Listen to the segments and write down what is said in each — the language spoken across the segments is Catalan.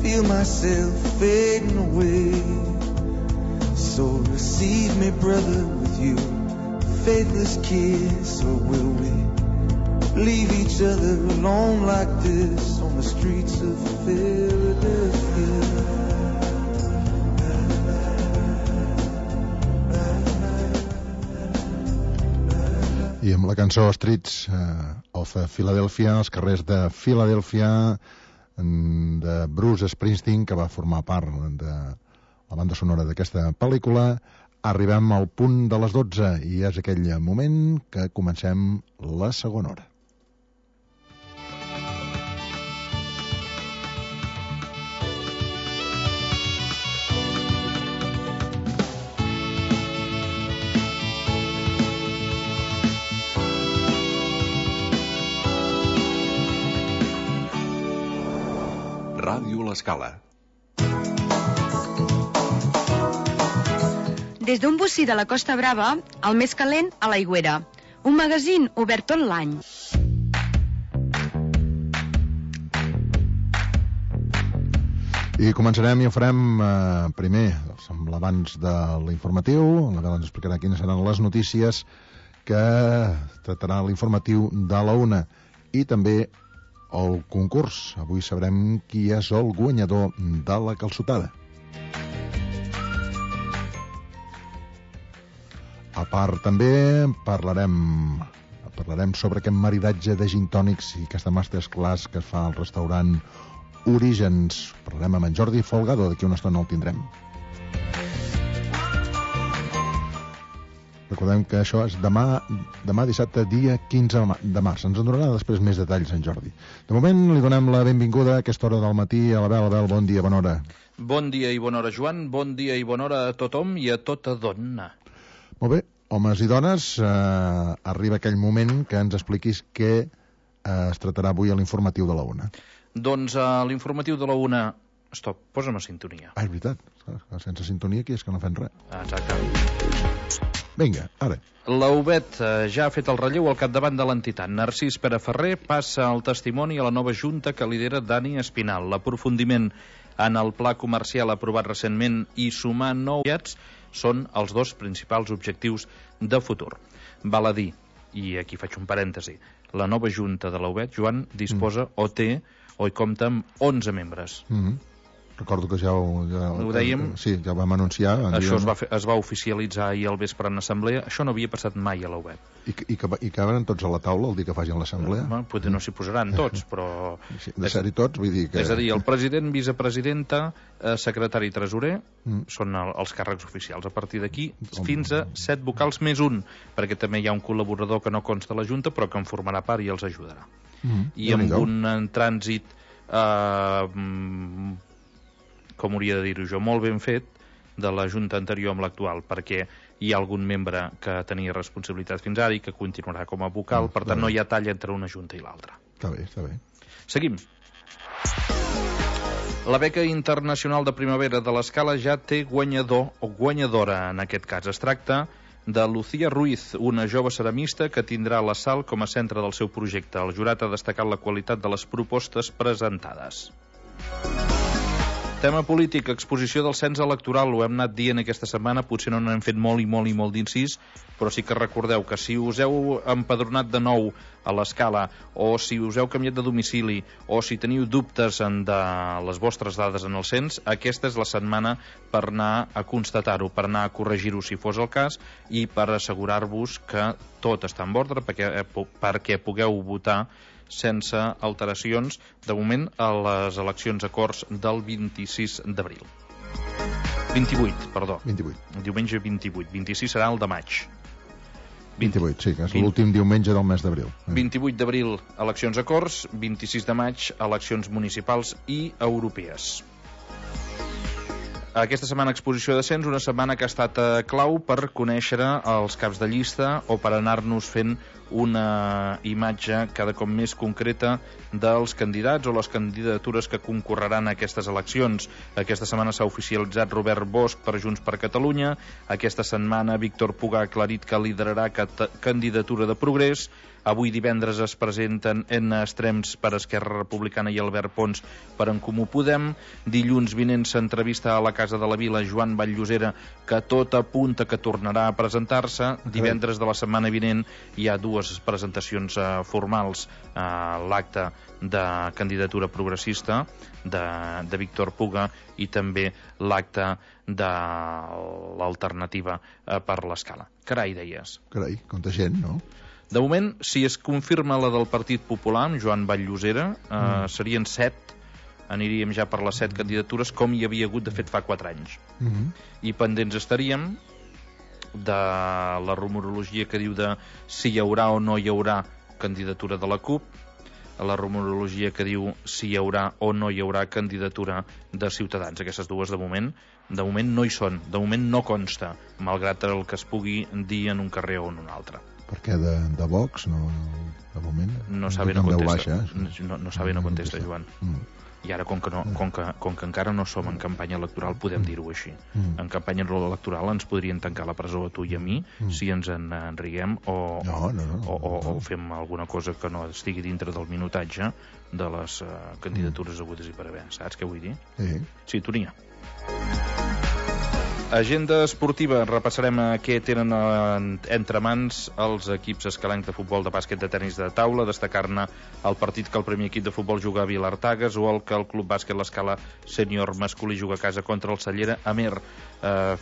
feel myself fading away. So receive me, brother, with you, faithless kiss, or will we leave each other alone like this on the streets of Philadelphia? I amb la cançó Streets of Philadelphia, els carrers de Philadelphia, de Bruce Springsteen, que va formar part de la banda sonora d'aquesta pel·lícula, arribem al punt de les 12 i és aquell moment que comencem la segona hora. Ràdio L'Escala. Des d'un bocí de la Costa Brava, el més calent a l'Aigüera. Un magazín obert tot l'any. I començarem i ho farem primer, amb l'abans de l'informatiu. La Bela ens explicarà quines seran les notícies que tractarà l'informatiu de la 1. I també el concurs. Avui sabrem qui és el guanyador de la calçotada. A part, també parlarem sobre aquest maridatge de gin tònics i aquesta masterclass que es fa al restaurant Orígens. Parlarem amb en Jordi Folgado, d'aquí una estona el tindrem. Recordem que això és demà dissabte, dia 15 de març. Ens en donarà després més detalls, en Jordi. De moment, li donem la benvinguda a aquesta hora del matí a la Bel. Bel, bon dia, bona hora. Bon dia i bona hora, Joan. Bon dia i bona hora a tothom i a tota dona. Molt bé, homes i dones, arriba aquell moment que ens expliquis què es tractarà avui a l'informatiu de la 1. Doncs a l'informatiu de la 1... Stop, posa'm a sintonia. És veritat, sense sintonia aquí és que no fem res. Exacte. Vinga, ara. La UBET ja ha fet el relleu al capdavant de l'entitat. Narcís Pere Ferrer passa el testimoni a la nova junta que lidera Dani Espinal. L'aprofundiment en el pla comercial aprovat recentment i sumar nous aliats són els dos principals objectius de futur. Val a dir, i aquí faig un parèntesi, la nova junta de la UBET, Joan, disposa o té o hi compta amb 11 membres. Recordo que ja ho dèiem. Sí, ja ho vam anunciar. Això es va oficialitzar ahir al vespre en assemblea. Això no havia passat mai a la UBET. I caben tots a la taula el dia que facin l'assemblea? Potser no s'hi posaran tots, però... De ser-hi tots, vull dir que... És a dir, el president, vicepresidenta, secretari i tresorer són els càrrecs oficials. A partir d'aquí, fins a 7 vocals més un, perquè també hi ha un col·laborador que no consta a la Junta, però que en formarà part i els ajudarà. I amb un trànsit... com hauria de dir-ho jo, molt ben fet de la Junta anterior amb l'actual, perquè hi ha algun membre que tenia responsabilitat fins ara i que continuarà com a vocal, per tant no hi ha talla entre una Junta i l'altra. Està bé, està bé. Seguim. La beca internacional de primavera de l'Escala ja té guanyador o guanyadora en aquest cas. Es tracta de Lucía Ruiz, una jove ceramista que tindrà la Sal com a centre del seu projecte. El jurat ha destacat la qualitat de les propostes presentades. Tema polític, exposició del cens electoral, ho hem anat dient aquesta setmana, potser no n'hem fet molt d'incís, però sí que recordeu que si us heu empadronat de nou a l'Escala, o si us heu canviat de domicili, o si teniu dubtes de les vostres dades en el cens, aquesta és la setmana per anar a constatar-ho, per anar a corregir-ho si fos el cas, i per assegurar-vos que tot està en ordre perquè pugueu votar sense alteracions, de moment, a les eleccions a Corts del 26 d'abril. 28, perdó. 28. Diumenge 28. 26 serà el de maig. 28, sí, que és l'últim diumenge del mes d'abril. 28 d'abril, eleccions a Corts. 26 de maig, eleccions municipals i europees. Aquesta setmana exposició de cens, una setmana que ha estat clau per conèixer els caps de llista o per anar-nos fent una imatge cada cop més concreta dels candidats o les candidatures que concorreran a aquestes eleccions. Aquesta setmana s'ha oficialitzat Robert Bosch per Junts per Catalunya. Aquesta setmana Víctor Puga ha aclarit que liderarà candidatura de Progrés. Avui divendres es presenten en extrems per Esquerra Republicana i Albert Pons per En Comú Podem. Dilluns vinent s'entrevista a la Casa de la Vila Joan Vall-llosera, que tot apunta que tornarà a presentar-se. Divendres de la setmana vinent hi ha dues presentacions formals a l'acte de candidatura progressista de Víctor Puga i també l'acte de l'alternativa per l'Escala. Carai, deies. Carai, quanta gent, no? De moment, si es confirma la del Partit Popular, amb Joan Vall-llosera, serien 7, aniríem ja per les 7 candidatures, com hi havia hagut, de fet, fa 4 anys. I pendents estaríem de la rumorologia que diu de si hi haurà o no hi haurà candidatura de la CUP, la rumorologia que diu si hi haurà o no hi haurà candidatura de Ciutadans. Aquestes dues, de moment no hi són, de moment no consta, malgrat el que es pugui dir en un carrer o en un altre. Per què de Vox, no, de moment? No sabe, no contesta. No sabe, no contesta, Joan. I ara, com que encara no som en campanya electoral, podem dir-ho així. En campanya electoral ens podrien tancar la presó a tu i a mi si ens en riguem o fem alguna cosa que no estigui dintre del minutatge de les candidatures hagudes i per haver. Saps què vull dir? Sí, Tonia. Agenda esportiva. Repassarem què tenen entre mans els equips escalencs de futbol, de bàsquet, de tenis de taula, destacar-ne el partit que el primer equip de futbol juga a Vilartagas o el que el Club Bàsquet l'Escala sènior masculí juga a casa contra el Cellera Amer.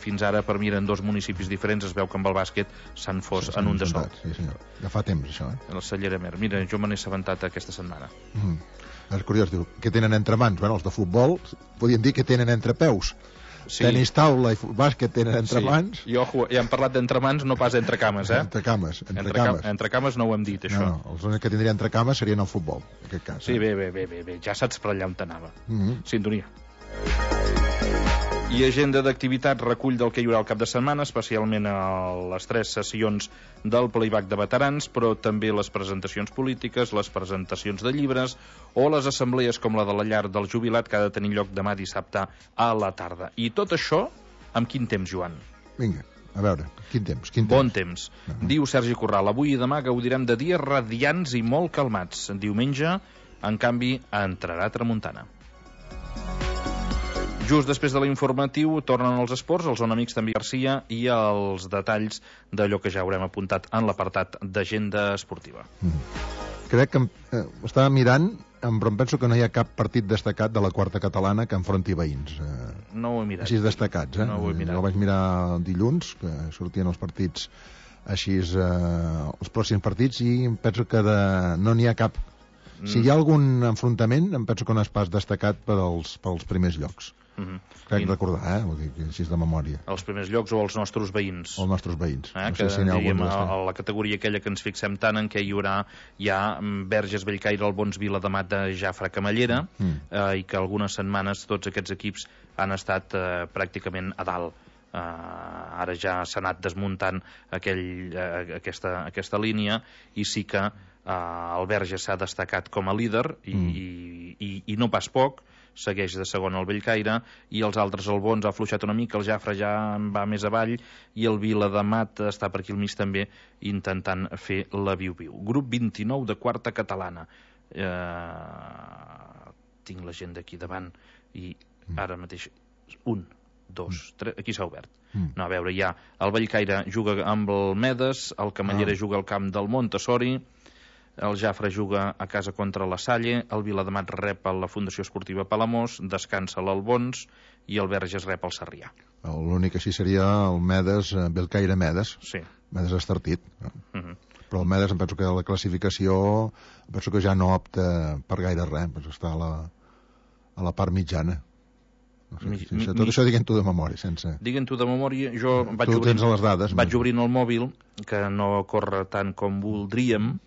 Fins ara, per mi, eren dos municipis diferents. Es veu que amb el bàsquet s'han fos en un de sol. Sí, senyor. Ja fa temps, això. El Cellera Amer. Mira, jo me n'he assabentat aquesta setmana. És curiós, diu, què tenen entre mans? Bueno, els de futbol podien dir que tenen entre peus. Sí. Tenis taula i bàsquet tenen entre mans. I ojo, ja hem parlat d'entre mans, no pas entre cames, Entre cames. Entre cames no ho hem dit, això. No, els únics que tindrien entre cames serien el futbol, en aquest cas. Sí, bé, ja saps per allà on t'anava. Sintonia. I agenda d'activitats recull del que hi haurà el cap de setmana, especialment a les 3 sessions del playback de veterans, però també les presentacions polítiques, les presentacions de llibres o les assemblees com la de la llar del jubilat, que ha de tenir lloc demà dissabte a la tarda. I tot això amb quin temps, Joan? Vinga, a veure, quin temps? Bon temps. Diu Sergi Corral, avui i demà gaudirem de dies radiants i molt calmats. Diumenge, en canvi, entrarà tramuntana. Just després de l'informatiu tornen els esports, el Zona Mixta amb Garcia i els detalls d'allò que ja haurem apuntat en l'apartat d'agenda esportiva. Crec que estava mirant, però em penso que no hi ha cap partit destacat de la quarta catalana que enfronti veïns. No ho he mirat. Així destacats, No ho he mirat. Jo vaig mirar dilluns, que sortien els partits així, els pròxims partits, i em penso que no n'hi ha cap. Si hi ha algun enfrontament, em penso que no és pas destacat pels primers llocs. Crec recordar, vull dir, així és de memòria. Els primers llocs o els nostres veïns? Els nostres veïns. No sé si n'hi ha algun a la categoria aquella que ens fixem tant en què hi haurà ja Verges, Bellcaire, Albons, Viladamat, de Jafre, Camallera, i que algunes setmanes tots aquests equips han estat pràcticament a dalt. Ara ja s'ha anat desmuntant aquesta línia i sí que el Verges s'ha destacat com a líder i no pas poc, segueix de segon el Bellcaire i els altres, el Bons ha afluixat una mica, el Jafre ja va més avall i el Viladamat està per aquí al mig també intentant fer la viu-viu. Grup 29 de quarta catalana. Tinc la gent d'aquí davant i ara mateix 1, 2, 3, aquí s'ha obert. No, a veure, ja el Bellcaire juga amb el Medes, el Camallera juga al camp del Montessori, el Jafre juga a casa contra la Salle, el Viladamat rep a la Fundació Esportiva Palamós, descansa l'Albons i el Verges rep el Sarrià. L'únic així seria el Medes, Bellcaire Medes. Sí. Medes Estartit. Però el Medes em penso que la classificació ja no opta per gaire res, està a la part mitjana. Tot això diguent-ho de memòria, sense... Diguent-ho de memòria, jo Tu tens les dades. vaig obrint el mòbil, que no corre tant com voldríem.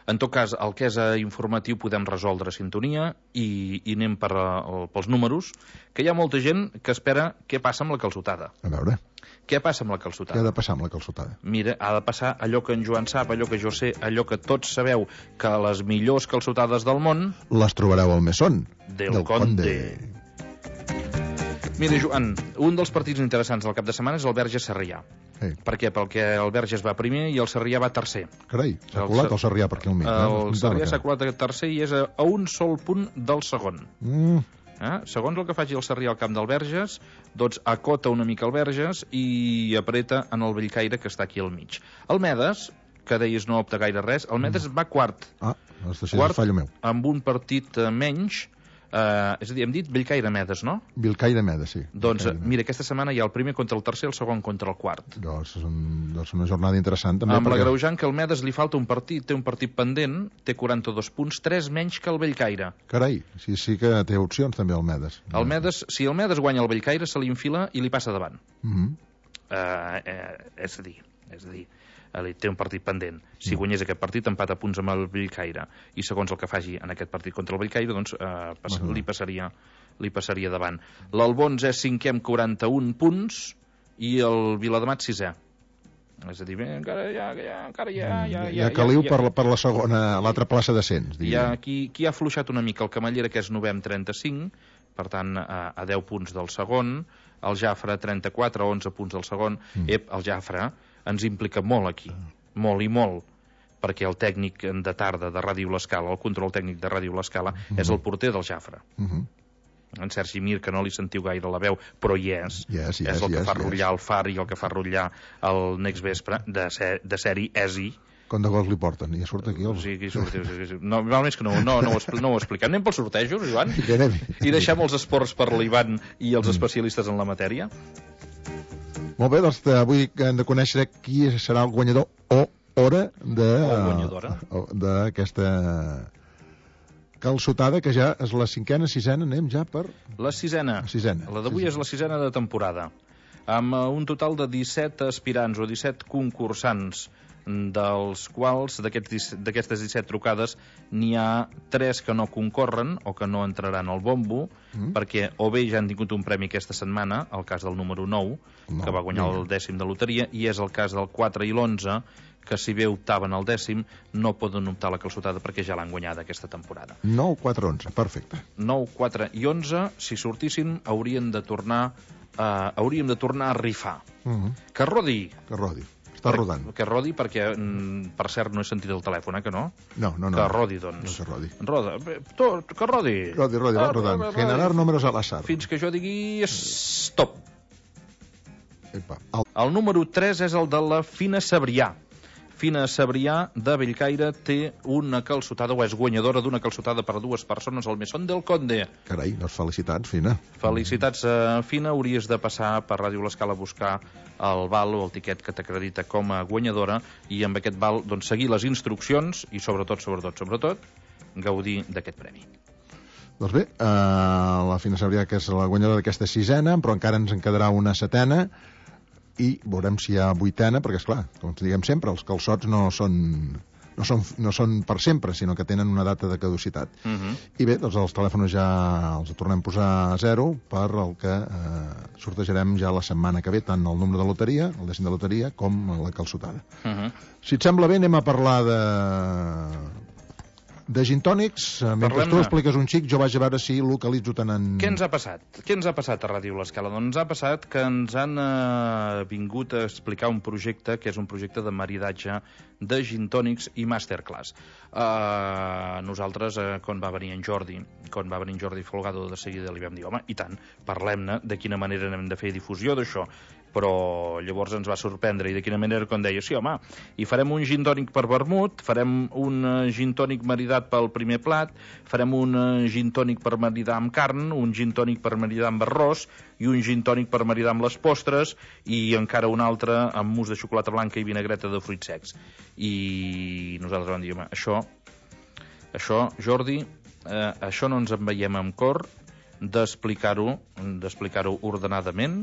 En tot cas, el que és informatiu podem resoldre sintonia i anem pels números, que hi ha molta gent que espera què passa amb la calçotada. A veure, Què passa amb la què calçotada? ha de passar amb la calçotada? Mira, ha de passar allò que en Joan sap, allò que jo sé, allò que tots sabeu, que les millors calçotades del món... Les trobareu al Mesón. Del Conde. Mira, Joan, un dels partits interessants del cap de setmana és el Verges-Sarrià. Sí. Per què? Perquè el Verges va primer i el Sarrià va tercer. Carai, s'ha colat el Sarrià per aquí al mig. El Sarrià s'ha colat a tercer i és a un sol punt del segon. Segons el que faci el Sarrià al camp del Verges, doncs acota una mica el Verges i apreta en el Bellcaire, que està aquí al mig. El Medes, que deies no opta gaire res, el Medes va quart. Doncs això és fallo meu. Amb un partit menys. És a dir, hem dit Bellcaire-Medes, no? Bellcaire Medes, sí. Doncs mira, aquesta setmana hi ha el primer contra el tercer, el segon contra el quart. Doncs és una jornada interessant també. Amb l'agreujant que el Medes li falta un partit, té un partit pendent, té 42 punts, 3 menys que el Bellcaire. Carai, sí que té opcions també el Medes. Si el Medes guanya el Bellcaire, se li enfila i li passa davant. És a dir, té un partit pendent. Si guanyés aquest partit, empata punts amb el Bellcaire. I segons el que faci en aquest partit contra el Bellcaire, doncs li passaria davant. L'Albons és cinquè amb 41 punts i el Viladamat sisè. És a dir, encara hi ha caliu per la segona, l'altra plaça d'ascens. Qui ha afluixat una mica el Camallera, que és novè amb 35, per tant, a 10 punts del segon. El Jafre, 34, 11 punts del segon. El Jafre ens implica molt aquí, molt i molt, perquè el tècnic de tarda de Ràdio L'Escala, el control tècnic de Ràdio L'Escala, és el porter del Jafre. En Sergi Mir, que no li sentiu gaire la veu, però hi és. És el que fa rotllar el Far i el que fa rotllar el Next Vespre, de sèrie ESI. Com de gols li porten? I surt aquí Sí, aquí surt. No, més que no ho expliquem. Anem pels sortejos, Joan? I deixem els esports per l'Ivan i els especialistes en la matèria. Molt bé, doncs avui hem de conèixer qui serà el guanyador o d'aquesta calçotada, que ja és la cinquena, sisena, anem ja per... La sisena. La d'avui és la sisena de temporada. Amb un total de 17 aspirants o 17 concursants, dels quals d'aquestes 17 trucades n'hi ha 3 que no concorren o que no entraran al bombo, perquè o bé ja han tingut un premi aquesta setmana, el cas del número 9, que va guanyar el 10è de loteria, i és el cas del 4 i l'11, que si bé optaven al 10è, no poden optar a la calçotada perquè ja l'han guanyada aquesta temporada. 9, 4, 11, perfecte. 9, 4 i 11, si sortissin, hauríem de tornar a rifar. Que rodi. Està rodant. Que rodi perquè, per cert, no he sentit el telèfon, que no? No. Que rodi, doncs. No que rodi. Roda. Que rodi. Rodi, va rodant. Generar números al azar. Fins que jo digui stop. Epa. El número 3 és el de la Fina Sabrià. Fina Sabrià de Bellcaire té una calçotada, o és guanyadora d'una calçotada per a 2 persones al Mesón del Conde. Carai, doncs felicitats, Fina. Felicitats, Fina. Hauries de passar per Ràdio L'Escala a buscar el val o el tiquet que t'acredita com a guanyadora i amb aquest val doncs, seguir les instruccions i sobretot, gaudir d'aquest premi. Doncs bé, la Fina Sabrià, que és la guanyadora d'aquesta sisena, però encara ens en quedarà una setena, i veurem si hi ha vuitena, perquè, esclar, com ens diguem sempre, els calçots no són per sempre, sinó que tenen una data de caducitat. I bé, doncs els telèfons ja els tornem a posar a 0 per el que sortejarem ja la setmana que ve, tant el número de loteria, el 10è de loteria, com la calçotada. Si et sembla bé, anem a parlar de gintònics. Mentre tu expliques un xic, jo vaig a veure si localitzo tant en... Què ens ha passat? Què ens ha passat a Ràdio L'Escala? Doncs ens ha passat que ens han vingut a explicar un projecte que és un projecte de maridatge de gintònics i masterclass. Nosaltres, quan va venir en Jordi Folgado, de seguida li vam dir, home, i tant, parlem-ne de quina manera hem de fer difusió d'això. Però llavors ens va sorprendre, i de quina manera, quan deia, sí, home, i farem un gintònic per vermut, farem un gintònic maridat pel primer plat, farem un gintònic per maridar amb carn, un gintònic per maridar amb arròs, i un gintònic per maridar amb les postres, i encara un altre amb mousse de xocolata blanca i vinagreta de fruits secs. I nosaltres vam dir, home, això, Jordi, això no ens en veiem amb cor, d'explicar-ho ordenadament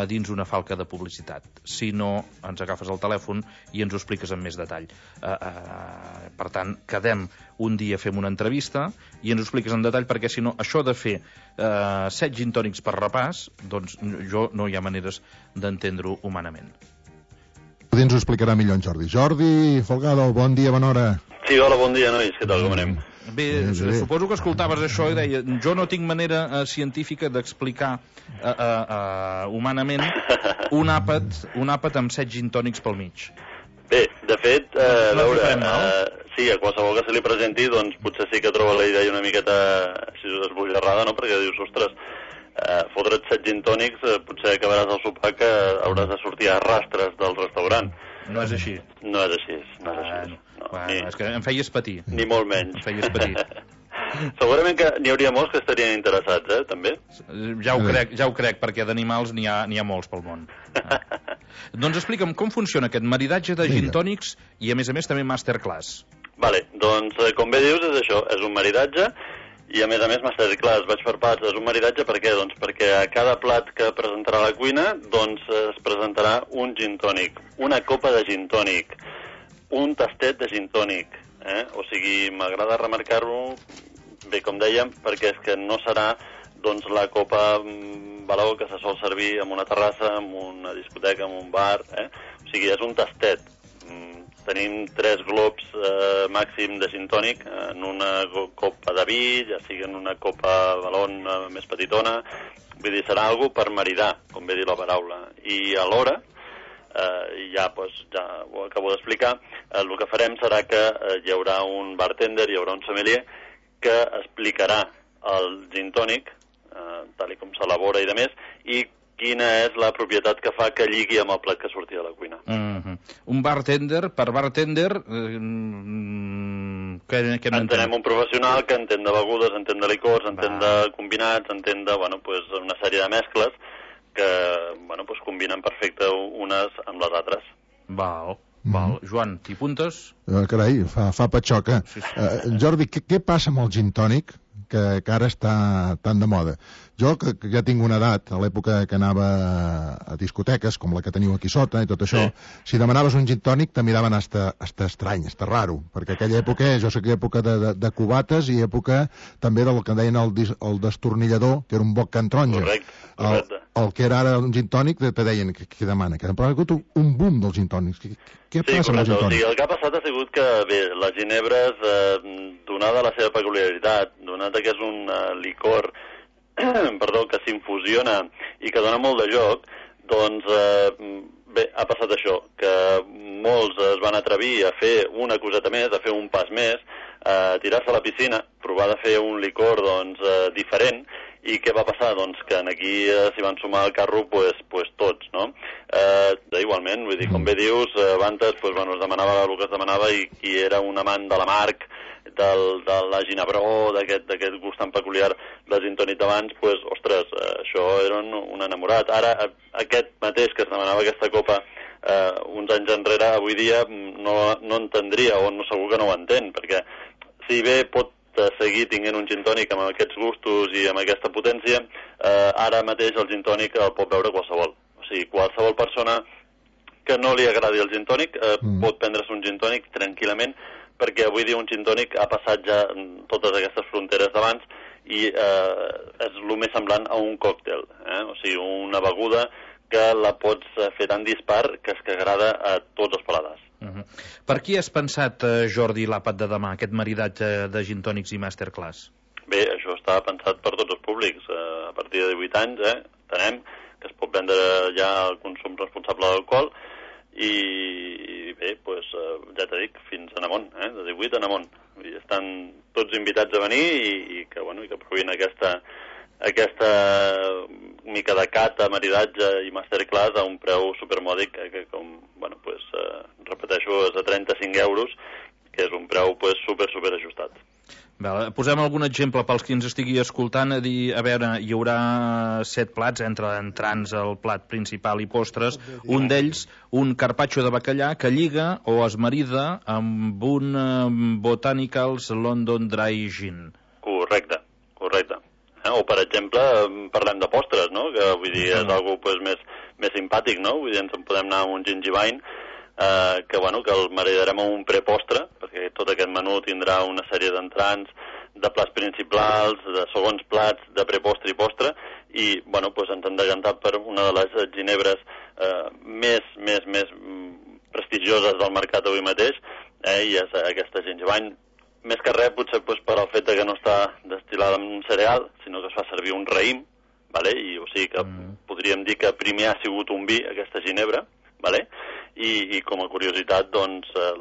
dins una falca de publicitat. Si no, ens agafes el telèfon i ens ho expliques amb més detall. Per tant, quedem un dia, fem una entrevista i ens ho expliques en detall, perquè si no, això de fer 7 gin tònics per repàs, doncs jo no hi ha maneres d'entendre-ho humanament. Ens ho explicarà millor en Jordi. Jordi Folgado, bon dia, bona hora. Sí, hola, bon dia, nois. Què tal, com anem? Bé, suposo que escoltaves això i deia, jo no tinc manera científica d'explicar humanament un àpat amb 7 gin tònics pel mig. Bé, de fet, a veure, sí, a qualsevol que se li presenti, doncs potser sí que troba la idea una miqueta esbojarrada, no? Perquè dius, ostres, fotre't 7 gin tònics, potser acabaràs al sopar que hauràs de sortir a rastres del restaurant. No és així. No és així, no és així. Bueno, és que em feies patir. Ni molt menys. Em feies patir. Segurament que n'hi hauria molts que estarien interessats, també. Ja ho crec, perquè d'animals n'hi ha molts pel món. Doncs explica'm com funciona aquest maridatge de gin tònics i, a més també, masterclass. Vale, doncs, com bé dius, és això, és un maridatge i, a més, masterclass, vaig per parts. És un maridatge per què? Doncs perquè a cada plat que presentarà a la cuina, doncs es presentarà un gin tònic, una copa de gin tònic, un tastet de gin tònic, O sigui, m'agrada remarcar-ho, bé, com dèiem, perquè és que no serà, doncs, la copa valor que se sol servir en una terrassa, en una discoteca, en un bar, O sigui, és un tastet. Tenim 3 globs màxim de gin tònic en una copa de vi, ja sigui en una copa balon més petitona. Vull dir, serà algo per maridar, com bé dir la paraula. I alhora, ja ho acabo d'explicar, el que farem serà que hi haurà un bartender, hi haurà un sommelier que explicarà el gin tònic, tal com s'elabora i de més, i quina és la propietat que fa que lligui amb el plat que surti de la cuina. Un bartender, per bartender, què n'entén? Entenem un professional que entén de begudes, entén de licors, entén de combinats, entén de una sèrie de mescles que combinen perfecte unes amb les altres. Val. Joan, t'hi apuntes? Carai, fa patxoca. Sí. Jordi, què passa amb el gin tònic que ara està tan de moda? Jo, que ja tinc una edat, a l'època que anava a discoteques, com la que teniu aquí sota i tot això, si demanaves un gin tònic te miraven hasta estrany, hasta raro, perquè aquella època, jo sé que època de cubates i època també del que deien el destornillador, que era un boc can taronja. Correcte. El que era ara un gin tònic te deien, què demana? Però ha hagut un boom dels gin tònics. Què passa amb el gin tònic? Sí, el que ha passat ha sigut que, bé, les ginebres, donada la seva peculiaritat, donada que és un licor que s'infusiona i que dona molt de joc, doncs, bé, ha passat això, que molts es van atrevir a fer una coseta més, a fer un pas més, a tirar-se a la piscina, provar de fer un licor, doncs, diferent. I què va passar? Doncs que aquí s'hi van sumar al carro tots, no? Igualment, vull dir, com bé dius, abans es demanava el que es demanava i qui era un amant de la marc, de la ginebró, d'aquest gust tan peculiar del gin tònic d'abans, ostres, això era un enamorat. Ara, aquest mateix que es demanava aquesta copa uns anys enrere, avui dia no entendria, o segur que no ho entén, perquè si bé pot seguir tinguent un gin tònic amb aquests gustos i amb aquesta potència, ara mateix el gin tònic el pot beure qualsevol. O sigui, qualsevol persona que no li agradi el gin tònic pot prendre's un gin tònic tranquil·lament, perquè avui dia un gin tònic ha passat ja totes aquestes fronteres d'abans i és el més semblant a un còctel, o sigui, una beguda que la pots fer tan dispar que és que agrada a tots els paladars. Per qui has pensat, Jordi, l'àpat de demà, aquest maridatge de gin tònics i masterclass? Bé, això està pensat per tots els públics. A partir de 18 anys, entenem que es pot vendre ja el consum responsable d'alcohol i bé, ja t'he dit, fins en amunt, de 18 en amunt. Estan tots invitats a venir i que provin aquesta mica de cata, maridatge i masterclass a un preu supermòdic que repeteixo, és de 35 euros, que és un preu super ajustat. Posem algun exemple pels qui ens estigui escoltant, a veure, hi haurà 7 plats, entre entrants, el plat principal i postres, un d'ells, un carpaccio de bacallà que lliga o es marida amb un Botanicals London Dry Gin. Correcte. O per exemple, parlem de postres, no? Que vull dir, és algo pues, més simpàtic, no? Vull dir, ens en podem anar amb un gingivine, que el maridarem amb un prepostre, perquè tot aquest menú tindrà una sèrie d'entrants, de plats principals, de segons plats, de prepostre i postre, i ens hem decantat per una de les ginebres més prestigioses del mercat avui mateix, i és aquesta gingivine. Més que res, potser per al fet que no està destil·lada en un cereal, sinó que es fa servir un raïm, i o sigui que podríem dir que primer ha sigut un vi, aquesta ginebra, i com a curiositat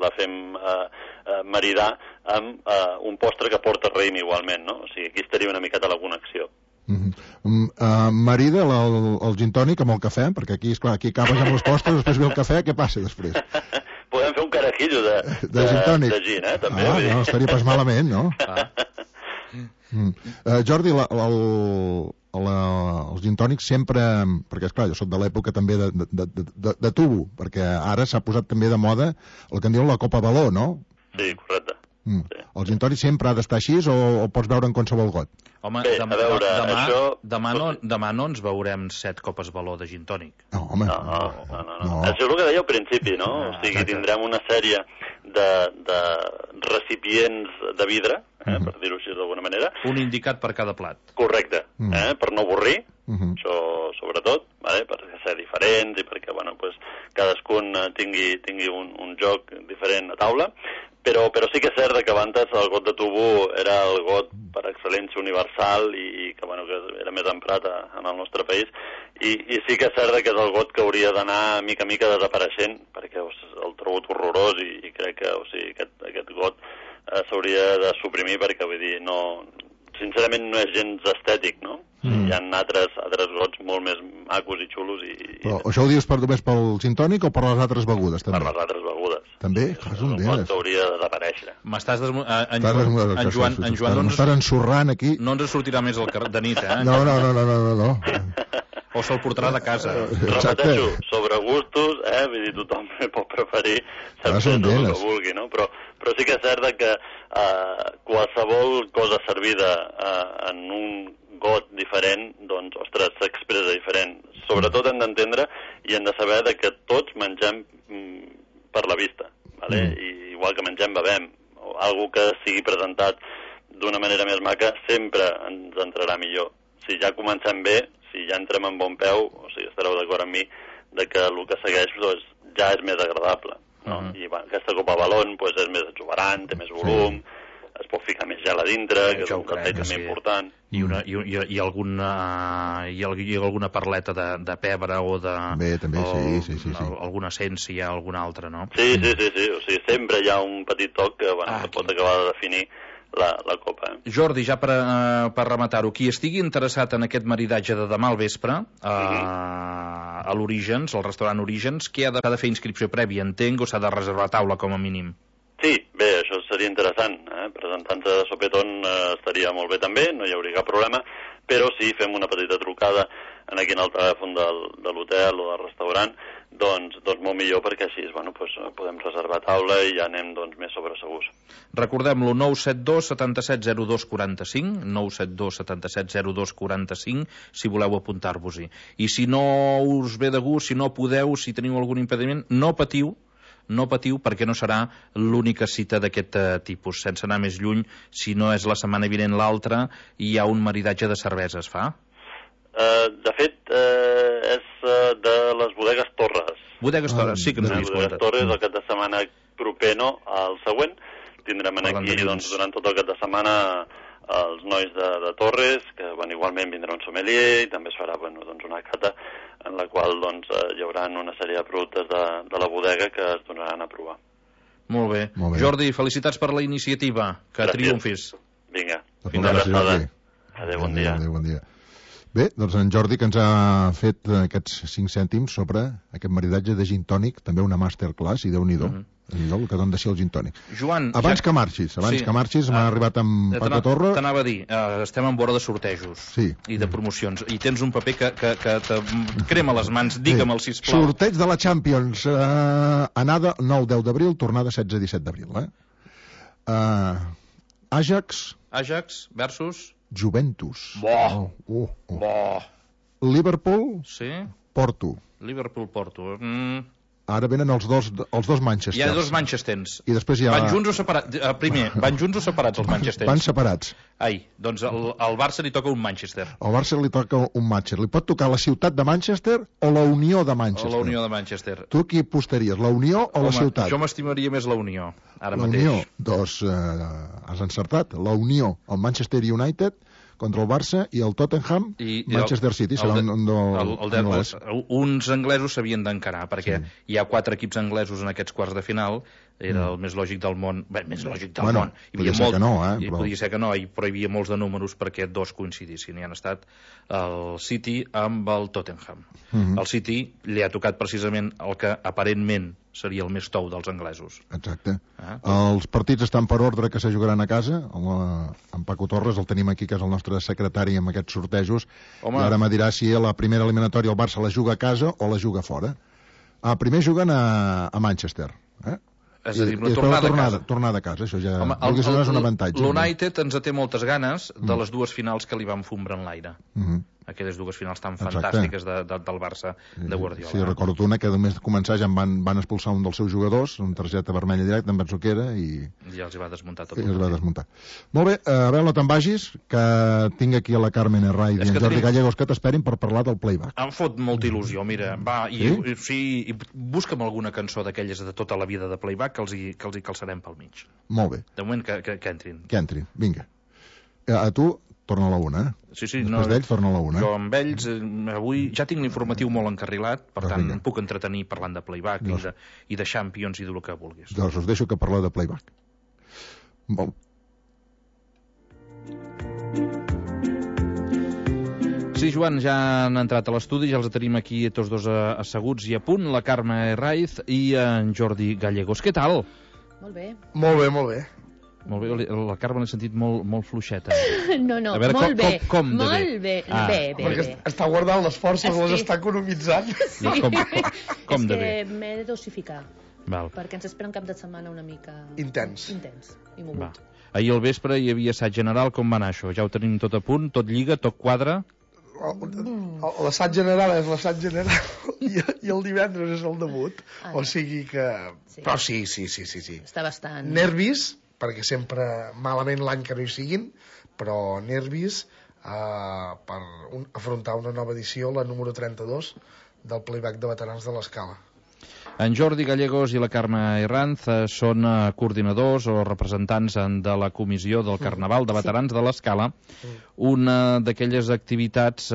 la fem maridar amb un postre que porta raïm igualment, no? O sigui, aquí estaria una miqueta la connexió. Marida el gin tònic amb el cafè, perquè aquí, esclar, aquí acabes amb els postres, després ve el cafè, què passa després? Podem fer un carajillo de gin tònic. De gin, també. No, estaria pas malament, no? Jordi, els gin tònics sempre... Perquè, esclar, jo soc de l'època també de tubo, perquè ara s'ha posat també de moda el que en diuen la copa baló, no? Sí, correcte. Sí. El gin tònic sempre ha d'estar així o pots veure en qualsevol got? Home, bé, demà no ens veurem 7 copes baló de gin tònic. No, home. No. Això és el que deia al principi, no? O sigui, tindrem una sèrie de recipients de vidre, per dir-ho així d'alguna manera. Un indicat per cada plat. Correcte, per no avorrir, això sobretot, per ser diferents i perquè cadascun tingui un joc diferent a taula. Però sí que és cert que abans el got de tubo era el got per excel·lència universal i que era més emprat en el nostre país i sí que és cert que és el got que hauria d'anar mica a mica desapareixent perquè el trobo horrorós i crec que aquest got s'hauria de suprimir perquè vull dir, sincerament no és gens estètic, no? Hi ha altres gots molt més macos i xulos Però això ho dius només pel gin tònic o per les altres begudes? Per les altres begudes. També? El got hauria de desaparèixer. M'estàs en Joan m'estàs ensorrant aquí. No ens sortirà més de nit, eh? No. O se'l portarà de casa. Repeteixo, sobre gustos, vull dir, tothom pot preferir sempre el que vulgui, no? Però sí que és cert que qualsevol cosa servida en un got diferent, ostres, s'expressa diferent. Sobretot hem d'entendre i hem de saber que tots mengem per la vista, I igual que mengem, bevem, o algo que sigui presentat d'una manera més maca, sempre ens entrarà millor. Si ja comencem bé, si ja entrem en bon peu, o sigui, estareu d'acord amb mi, que el que segueix ja és més agradable. No? I aquesta copa balón és més exuberant, té més volum, es pot ficar més gel a dintre, que és un detall també important. I alguna perleta de pebre o de... Bé, també, sí. Alguna essència, alguna altra, no? Sí. O sigui, sempre hi ha un petit toc que pot acabar de definir la copa. Jordi, ja per rematar-ho, qui estigui interessat en aquest maridatge de demà al vespre a l'Orígens, al restaurant Orígens, què ha de fer inscripció prèvia, entenc, o s'ha de reservar taula com a mínim? Sí, bé, això seria interessant. Presentant-se de sopetón estaria molt bé també, no hi hauria cap problema, però si fem una petita trucada aquí en el telèfon de l'hotel o del restaurant, doncs molt millor, perquè així podem reservar taula i ja anem més sobresegurs. Recordem-lo, 972 77 02 45, 972 77 02 45, si voleu apuntar-vos-hi. I si no us ve de gust, si no podeu, si teniu algun impediment, no patiu, perquè no serà l'única cita d'aquest tipus. Sense anar més lluny, si no és la setmana vinent l'altra, hi ha un maridatge de cerveses, fa? De fet, és de les bodegues Torres. Bodegues Torres, sí que ens havies comentat. Bodegues Torres, el cap de setmana proper, no, el següent. Tindrem aquí, durant tot el cap de setmana, els nois de Torres, que igualment vindrà un sommelier, i també es farà una cata en la qual hi haurà una sèrie de productes de la bodega que es donaran a provar. Molt bé. Jordi, felicitats per la iniciativa. Que triomfis. Vinga. Fins ara. Adéu, bon dia. Bé, doncs en Jordi, que ens ha fet aquests 5 cèntims sobre aquest maridatge de gin tònic, també una masterclass, i Déu-n'hi-do, el que dona de ser el gin tònic. Joan, abans que marxis, m'ha arribat amb Paco Torra. T'anava a dir, estem en vora de sortejos i de promocions, i tens un paper que te crema les mans, digue'm-el, sisplau. Sorteig de la Champions, anada 9-10 d'abril, tornada 16-17 d'abril. Ajax versus Juventus. Bo. Liverpool, Sí? Porto. Liverpool-Porto. Ara venen els dos Manchesters. Hi ha dos Manchesters. I després hi ha... Van junts o separats? Primer, van junts o separats els Manchesters? Van separats. Ai, doncs al Barça li toca un Manchester. Al Barça li toca un Manchester. Li pot tocar la ciutat de Manchester o la Unió de Manchester? O la Unió de Manchester. Tu qui apostaries, la Unió o la ciutat? Jo m'estimaria més la Unió, ara la mateix. La Unió, doncs has encertat. La Unió, el Manchester United contra el Barça i el Tottenham, Manchester City. Uns anglesos s'havien d'encarar, perquè hi ha 4 equips anglesos en aquests quarts de final, era el més lògic del món. Bé, més lògic del món. Podia ser que no, Podia ser que no, però hi havia molts de números perquè dos coincidissin. Hi han estat el City amb el Tottenham. El City li ha tocat precisament el que aparentment seria el més tou dels anglesos. Exacte. Els partits estan per ordre que se jugaran a casa. En Paco Torres el tenim aquí, que és el nostre secretari amb aquests sortejos. I ara me dirà si a la primera eliminatòria el Barça la juga a casa o la juga fora. Primer juguen a Manchester. És a dir, una tornada a casa. Tornada a casa, això ja és un avantatge. L'United ens té moltes ganes de les dues finals que li van fumbre en l'aire. Aquelles dues finals tan fantàstiques del Barça de Guardiola. Sí, recordo una que només començar ja van expulsar un dels seus jugadors, una targeta vermella directa, en penso que era, i ja els hi va desmuntar tot. I els va desmuntar. Molt bé, a veure, no te'n vagis, que tinc aquí a la Carmen Herray i en Jordi Gallegos que t'esperin per parlar del playback. Em fot molta il·lusió, mira, va, i busca'm alguna cançó d'aquelles de tota la vida de playback que els hi calçarem pel mig. Molt bé. De moment que entrin. Que entrin, vinga. A tu torna a la una, Sí, després d'ells torna a la una. Jo amb ells avui ja tinc l'informatiu molt encarrilat, per tant em puc entretenir parlant de playback i de Champions i del que vulguis. Doncs us deixo que parleu de playback. Molt. Sí, Joan, ja han entrat a l'estudi, ja els tenim aquí tots dos asseguts i a punt, la Carme Raiz i en Jordi Gallegos. Què tal? Molt bé. Molt bé, molt bé. Molt bé, la Carme l'he sentit molt fluixeta. No, veure, molt bé. Com de bé? Molt bé, bé. Perquè està guardant les forces, les està economitzant. Sí. Com de bé? És que m'he de dosificar. Val. Perquè ens espera un cap de setmana una mica... Intens i mogut. Ahir al vespre hi havia assaig general, com va anar això? Ja ho tenim tot a punt, tot lliga, tot quadra? L'assaig general és l'assaig general i el divendres és el debut. O sigui que... Però sí. Està bastant... Nervis, perquè sempre malament l'any que no hi siguin, però nervis per afrontar una nova edició, la número 32 del playback de veterans de l'Escala. En Jordi Gallegos i la Carme Herranz són coordinadors o representants de la comissió del Carnaval de Veterans de l'Escala, una d'aquelles activitats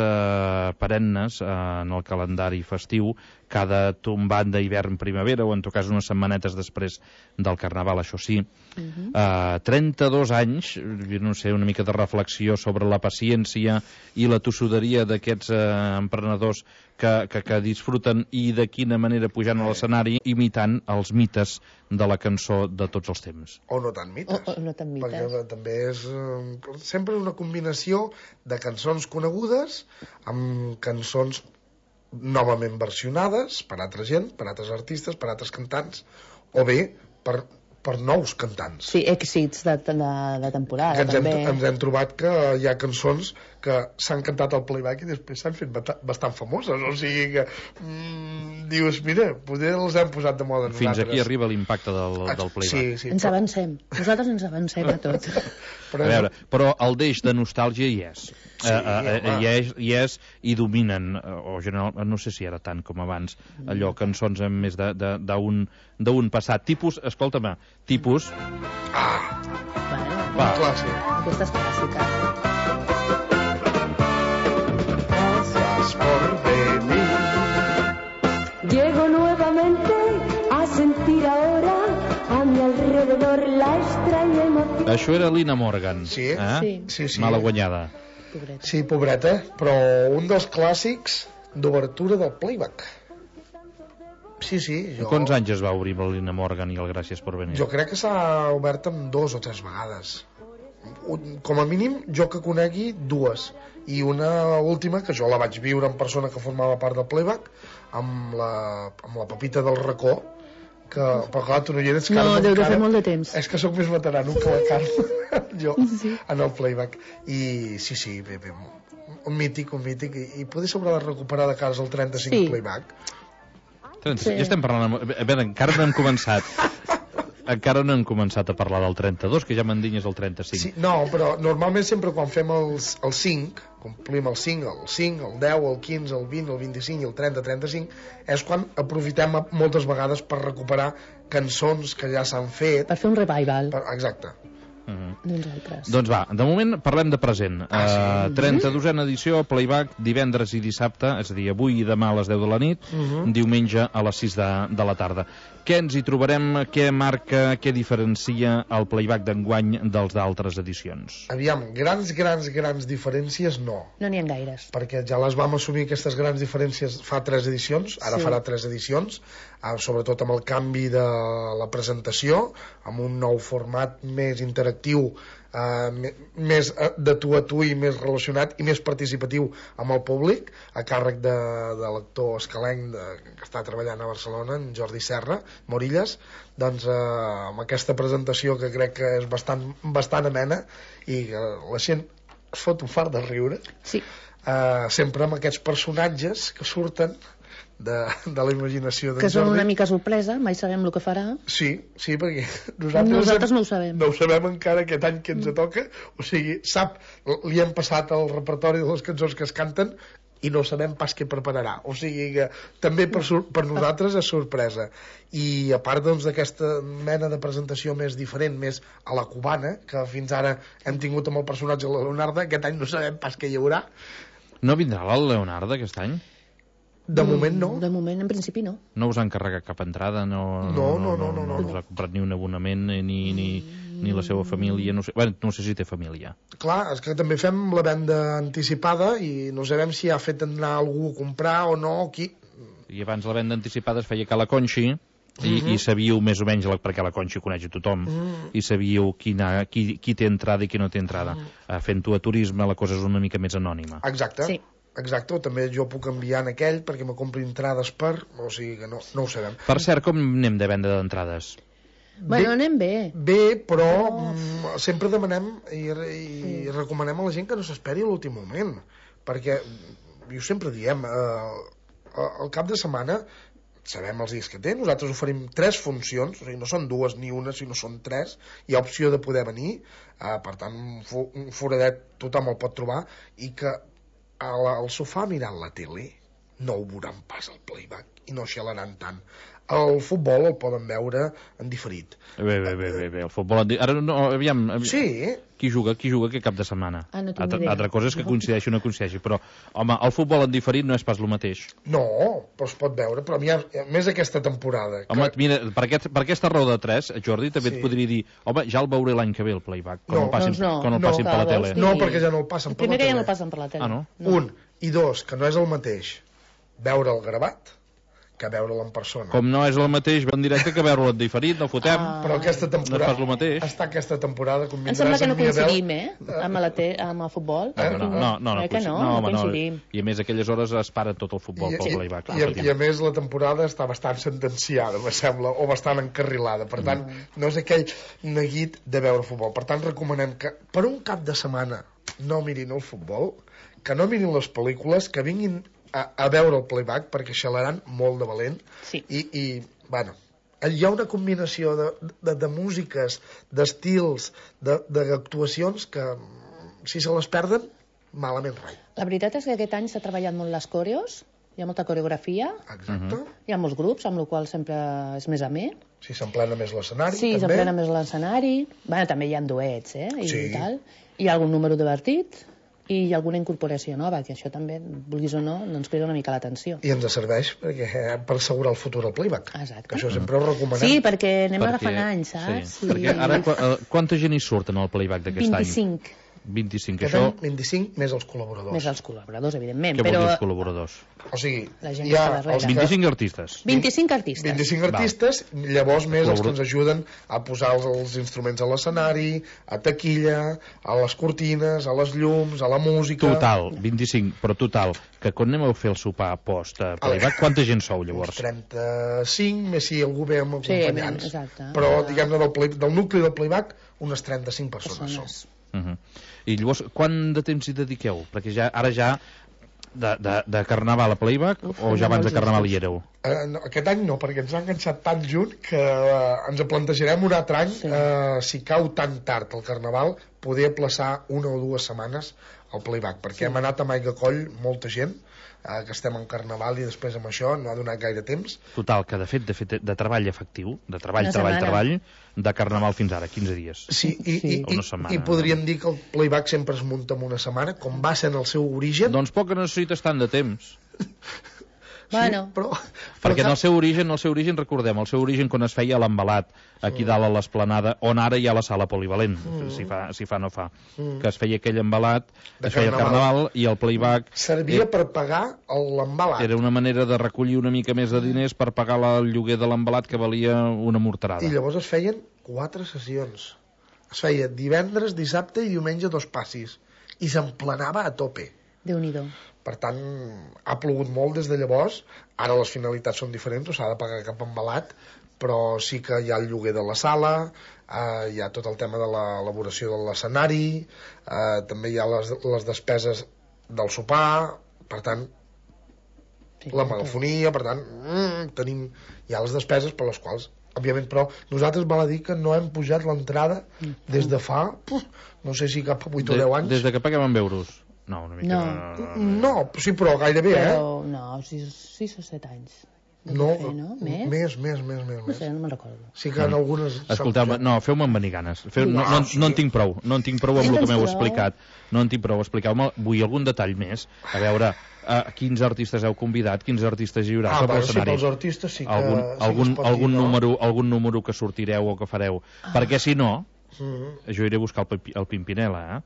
perennes en el calendari festiu, cada tombant d'hivern-primavera, o en tot cas unes setmanetes després del Carnaval, això sí. 32 anys, no sé, una mica de reflexió sobre la paciència i la tossuderia d'aquests emprenedors que disfruten i de quina manera pujant a l'escenari imitant els mites de la cançó de tots els temps. O no tant mites. Perquè també és sempre una combinació de cançons conegudes amb cançons novament versionades per altra gent, per altres artistes, per altres cantants, o bé per nous cantants. Sí, èxits de temporada, també. Ens hem trobat que hi ha cançons que s'han cantat al playback i després s'han fet bastant famoses, o sigui que dius, mira, potser els hem posat de moda nosaltres. Fins aquí arriba l'impacte del playback. Sí, ens avancem, nosaltres ens avancem a tot. A veure, però el deix de nostàlgia hi és. Hi és i dominen, o general, no sé si era tant com abans, allò, cançons amb més d'un passat. Tipus, escolta-me, tipus... Va, aquesta és clàssica. Gracias por venir. Llego nuevamente a sentir ahora a mi alrededor la extraña emoción. Això era Lina Morgan. Sí. Mala guanyada. Pobreta. Sí, pobreta, però un dels clàssics d'obertura del playback. Sí, jo... Quants anys es va obrir amb la Lina Morgan i el Gràcies per venir? Jo crec que s'ha obert amb 2 o 3 vegades. Com a mínim, jo que conegui 2. I una última, que jo la vaig viure en persona que formava part del playback, amb la Pepita del Racó, que, però clar, tu no hi eres, Carme. No, deu de fer molt de temps. És que sóc més veterano que la Carme. jo, en el playback. I sí, bé, un mític, i poder s'haurà de recuperar de cares al 35 playback. Ja estem parlant... A veure, encara no hem començat a parlar del 32, que ja m'endinyes el 35. Sí, no, però normalment sempre quan fem el 5, complim el 5, el 10, el 15, el 20, el 25 i el 30-35, és quan aprofitem moltes vegades per recuperar cançons que ja s'han fet. Per fer un revival. Exacte. Doncs va, de moment parlem de present. 32a edició, playback, divendres i dissabte, és a dir, avui i demà a les 10 de la nit, diumenge a les 6 de la tarda. Què ens hi trobarem? Què marca, què diferencia el playback d'enguany dels d'altres edicions? Aviam, grans diferències no. No n'hi ha gaires. Perquè ja les vam assumir, aquestes grans diferències, fa 3 edicions, ara farà 3 edicions, sobretot amb el canvi de la presentació, amb un nou format més interactiu, més de tu a tu i més relacionat i més participatiu amb el públic, a càrrec de l'actor escalenc que està treballant a Barcelona, en Jordi Serra Morillas. Doncs amb aquesta presentació, que crec que és bastant amena i la gent es fot un fart de riure, sempre amb aquests personatges que surten de la imaginació d'en Jordi. Que són una mica sorpresa, mai sabem el que farà. Sí, perquè nosaltres no ho sabem. No ho sabem encara aquest any que ens toca, o sigui, li hem passat el repertori de les cançons que es canten i no sabem pas què prepararà, o sigui que també per nosaltres és sorpresa. I a part doncs d'aquesta mena de presentació més diferent, més a la cubana, que fins ara hem tingut amb el personatge de la Leonarda, aquest any no sabem pas què hi haurà. No vindrà la Leonarda aquest any? De moment no. De moment, en principi, no. No us han carregat cap entrada? No us ha comprat ni un abonament, ni la seva família? No sé si té família. Clar, és que també fem la venda anticipada i no sabem si ha fet anar algú a comprar o no, o qui. I abans la venda anticipada es feia a la Conxi, i sabíeu més o menys, perquè la Conxi coneix a tothom, i sabíeu qui té entrada i qui no té entrada. Fent-ho a turisme la cosa és una mica més anònima. Exacte. Sí. Exacte, també jo puc enviar en aquell perquè me compri entrades o sigui que no ho sabem. Per cert, com anem de venda d'entrades? Bueno, anem bé. Bé, però sempre demanem i recomanem a la gent que no s'esperi a l'últim moment, perquè jo sempre diem, al cap de setmana sabem els dies que té, nosaltres oferim 3 funcions, o sigui, no són 2 ni una, sinó són 3, hi ha opció de poder venir, per tant un foradet tothom el pot trobar, i que al sofà mirant la tele no ho veuran pas al playback i no xalaran tant. El futbol el poden veure en diferit. Bé, el futbol... Ara no, aviam... Sí. Qui juga aquest cap de setmana? No tinc idea. Altra cosa és que coincideixi o no coincideixi, però, home, el futbol en diferit no és pas el mateix. No, però es pot veure, però més aquesta temporada. Home, mira, per aquesta raó de 3, Jordi, també et podria dir, home, ja el veuré l'any que ve, el playback, quan el passin per la tele. No, perquè ja no el passen per la tele. Primer que ja no el passen per la tele. No? Un, i dos, que no és el mateix veure el gravat que veure'l en persona. Com no és el mateix veure en directe que veure'l en diferit, no fotem. Però aquesta temporada... No és pas el mateix. Està aquesta temporada... Em sembla que no coincidim, amb el futbol. No coincidim. I a més, aquelles hores es para tot el futbol pel playback. I a més, la temporada està bastant sentenciada, me sembla, o bastant encarrilada. Per tant, no és aquell neguit de veure futbol. Per tant, recomanem que per un cap de setmana no mirin el futbol, que no mirin les pel·lícules, que vinguin a veure el playback, perquè xalaran molt de valent. Sí. I bueno, hi ha una combinació de músiques, d'estils, d'actuacions que si se les perden, malament rai. La veritat és que aquest any s'ha treballat molt les coreos, hi ha molta coreografia. Exacte. Hi ha molts grups, amb la qual sempre és més amè. Sí, s'emplena més l'escenari. Sí, s'emplena més l'escenari. Bueno, també hi ha duets, i tal. Hi ha algun número divertit i hi ha alguna incorporació nova, que això també, vulguis o no, ens crida una mica l'atenció. I ens serveix per assegurar el futur al playback. Exacte. Que això sempre ho recomanem. Sí, perquè anem agafant anys, saps? Sí. Perquè ara quanta gent hi surt en el playback d'aquest any? 25. 25, Aquest any 25 més els col·laboradors. Més els col·laboradors, evidentment. Què vol dir els col·laboradors? O sigui, La gent hi ha que està darrere. 25 artistes. 25 artistes. 25 artistes, llavors més els que ens ajuden a posar els instruments a l'escenari, a taquilla, a les cortines, a les llums, a la música... Total, 25, però total, que quan anem a fer el sopar post playback, quanta gent sou llavors? Uns 35, més si algú ve amb acompanyants. Exacte. Però, diguem-ne, del nucli del playback, unes 35 persones són. I llavors, quant de temps hi dediqueu? Perquè ara ja de Carnaval a playback o ja abans de Carnaval hi éreu? No, aquest any no, perquè ens ha enganxat tan junt que ens plantejarem un altre any, si cau tan tard el Carnaval, poder aplaçar 1 o 2 setmanes al playback, perquè hem anat amb aigua coll molta gent, que estem en Carnaval i després amb això no ha donat gaire temps. Total, que de fet de treball efectiu, de treball, de Carnaval fins ara, 15 dies. Sí, i podríem dir que el playback sempre es munta en una setmana, com va ser en el seu origen. Doncs poc que necessites tant de temps. Bueno. Sí, però perquè en el seu origen, recordem, el seu origen quan es feia l'embalat, aquí dalt a l'esplanada, on ara hi ha la sala polivalent, si fa no fa, que es feia aquell embalat, es feia el Carnaval i el playback... Servia per pagar l'embalat. Era una manera de recollir una mica més de diners per pagar el lloguer de l'embalat, que valia una morterada. I llavors es feien 4 sessions. Es feia divendres, dissabte i diumenge 2 passis. I s'emplenava a tope. Déu-n'hi-do. Per tant, ha plogut molt des de llavors. Ara les finalitats són diferents, no s'ha de pagar cap embalat, però sí que hi ha el lloguer de la sala, hi ha tot el tema de l'elaboració de l'escenari, també hi ha les despeses del sopar, per tant, la megafonia, per tant, hi ha les despeses per les quals, òbviament, però nosaltres val a dir que no hem pujat l'entrada des de fa, no sé si cap a 8 o 10 anys. Des de que paguem en euros. No, una mica... No, sí, però gairebé, però, no, 6 o 7 anys. No, més? Més. No sé, no me'n recordo. Sí que en algunes... Escolteu, no, feu-me en venir ganes. No en tinc prou. No en tinc prou amb el que m'heu explicat. No en tinc prou. Expliqueu-me, vull algun detall més. A veure, quins artistes heu convidat, quins artistes hi haurà sobre l'escenari. Sí, pels artistes sí que... Algun número que sortireu o que fareu. Perquè si no, jo iré a buscar el Pimpinela,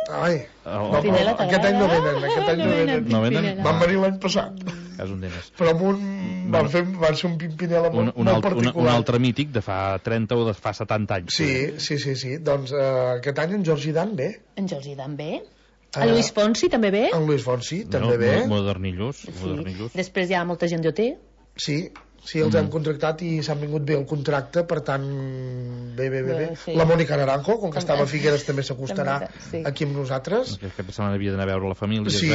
Ai, aquest any no venen. No venen? Van venir l'any passat. És un diners. Però van ser un Pimpinela molt particular. Un altre mític de fa 30 o de fa 70 anys. Sí. Doncs aquest any en Jordi Dan ve. En Jordi Dan ve. En Luis Fonsi també ve. En Luis Fonsi també ve. Modernillos. Després hi ha molta gent d'OT. Sí, els hem contractat i s'han vingut bé el contracte, per tant, bé. Sí. La Mònica Naranjo, com que estava a Figueres, també s'acostarà aquí amb nosaltres. Aquesta setmana havia d'anar a veure la família. Sí,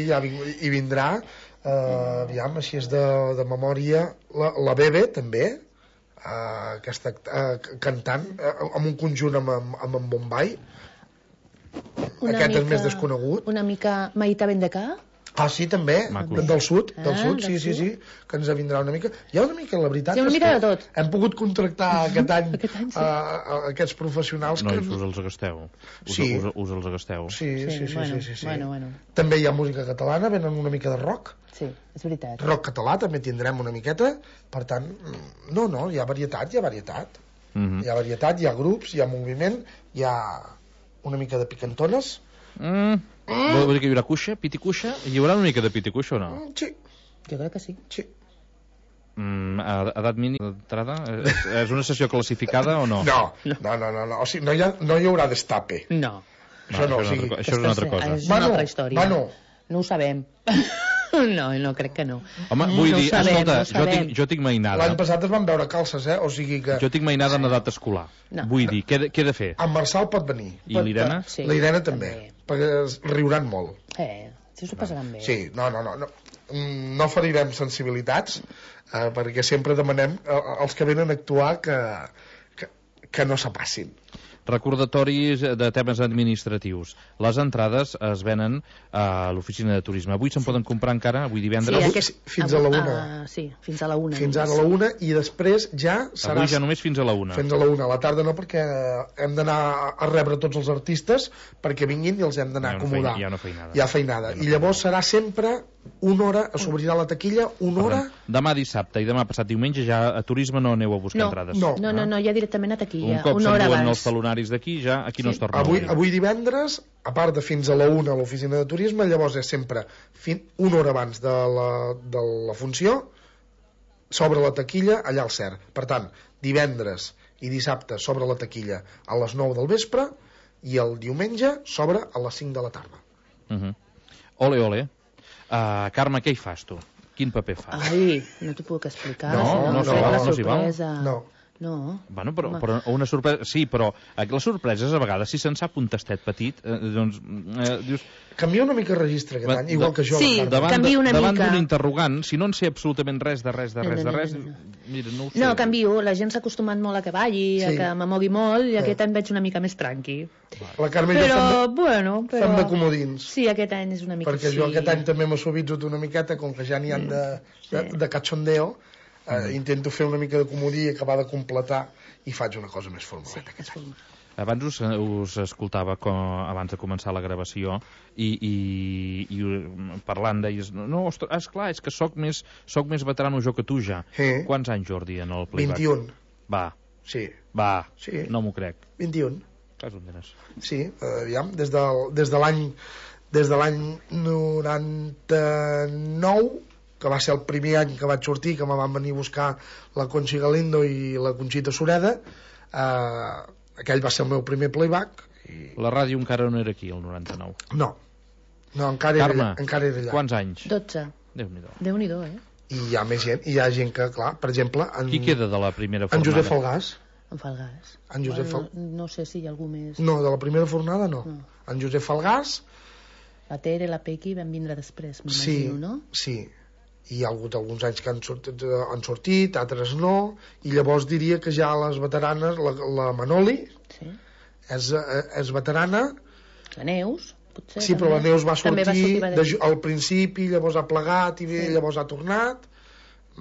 ja hi vindrà. Aviam, així és de memòria. La Bebe, també, aquesta cantant, amb un conjunt amb en Bombay. Aquest és més desconegut. Una mica Maïta Bendecà. Sí, també, del sud, sí, que ens vindrà una mica. Hi ha una mica, la veritat, una mica de tot. Hem pogut contractar aquest any aquests professionals. No, us els agasteu. Us els agasteu. Sí. Bueno. També hi ha música catalana, venen una mica de rock. Sí, és veritat. Rock català també tindrem una miqueta, per tant, no, hi ha varietat. Hi ha varietat, hi ha grups, hi ha moviment, hi ha una mica de picantones. Vol dir que hi haurà cuixa, piti cuixa? Hi haurà una mica de piti cuixa o no? Sí. Jo crec que sí. Edat mínima d'entrada? És una sessió classificada o no? No. O sigui, no hi haurà destape. No. Això és una altra cosa. És una altra història. No ho sabem. No, crec que no. Home, vull dir, escolta, jo tinc mainada. L'any passat es van veure calces, o sigui que... Jo tinc mainada en edat escolar. Vull dir, què he de fer? En Marçal pot venir. I l'Irene? Sí, la Irene també, perquè riuran molt. Si s'ho passaran bé. Sí, no ferirem sensibilitats, perquè sempre demanem als que venen a actuar que no s'apassin. Recordatoris de temes administratius. Les entrades es venen a l'oficina de turisme. Avui se'n poden comprar encara, avui divendres? Fins a la 1. Sí, fins a la 1. Fins ara a la 1 i després ja serà... Avui ja només fins a la 1. Fins a la 1. A la tarda no, perquè hem d'anar a rebre tots els artistes perquè vinguin i els hem d'anar a acomodar. Hi ha feinada. I llavors serà sempre una hora, s'obrirà la taquilla, una hora... Demà dissabte i demà passat diumenge ja a turisme no aneu a buscar entrades. No, ja directament a taquilla. Un cop s'enduen els talonaris escenaris d'aquí, ja aquí no es torna a obrir. Avui divendres, a part de fins a la 1 a l'oficina de turisme, llavors és sempre una hora abans de la funció, s'obre la taquilla allà al CER. Per tant, divendres i dissabte s'obre la taquilla a les 9 del vespre i el diumenge s'obre a les 5 de la tarda. Ole, ole. Carme, què hi fas tu? Quin paper fas? Ai, no t'ho puc explicar. No s'hi val. No. Bueno, però una sorpresa... Sí, però les sorpreses, a vegades, si se'n sap un tastet petit, doncs... dius... Canvia una mica el registre aquest any, igual que jo. Sí, canvia una mica. Davant d'un interrogant, si no en sé absolutament res de res, mira, no ho sé. No, canvio. La gent s'ha acostumat molt a que balli, a que m'amogui molt, i aquest any veig una mica més tranqui. La Carme i jo fem de comodins. Sí, aquest any és una mica perquè jo aquest any també m'he suavitzat una miqueta, com que ja n'hi han de cachondeo, intento fer una mica de comodí, acabar de completar, i faig una cosa més formaleta aquest any. Abans us escoltava abans de començar la gravació i parlant deies esclar, és que soc més veterano jo que tu ja. Quants anys, Jordi, en el playback? 21. Va. Sí. No m'ho crec. 21. Cas on eres? Sí, aviam, des de l'any 99, que va ser el primer any que vaig sortir, que me van venir a buscar la Conchi Galindo i la Conxita Sureda, aquell va ser el meu primer playback. La ràdio encara no era aquí, el 99? No, encara era allà. Quants anys? 12. Déu-n'hi-do, I hi ha més gent, hi ha gent que, clar, per exemple... Qui queda de la primera fornada? En Josep Falgàs. En Falgàs. No sé si hi ha algú més... No, de la primera fornada no. En Josep Falgàs... La Tere, la Pequi van vindre després, m'imagino, no? Sí. Hi ha hagut alguns anys que han sortit, altres no, i llavors diria que ja les veteranes, la Manoli és veterana. La Neus, potser. Sí, però la Neus va sortir al principi, llavors ha plegat i llavors ha tornat, i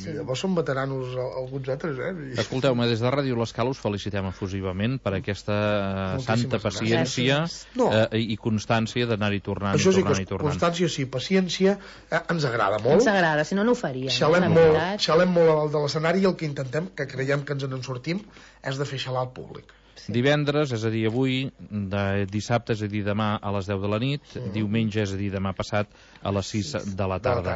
llavors són veteranos alguns altres. Escolteu-me, des de Ràdio L'Escala us felicitem efusivament per aquesta santa paciència i constància d'anar-hi tornant. Això sí, constància sí, paciència ens agrada molt. Ens agrada, si no, no ho faríem. Xalem molt a dalt de l'escenari i el que intentem, que creiem que ens en sortim, és de fer xalar al públic. Divendres, és a dir, avui, dissabte, és a dir, demà a les 10 de la nit, diumenge, és a dir, demà passat a les 6 de la tarda.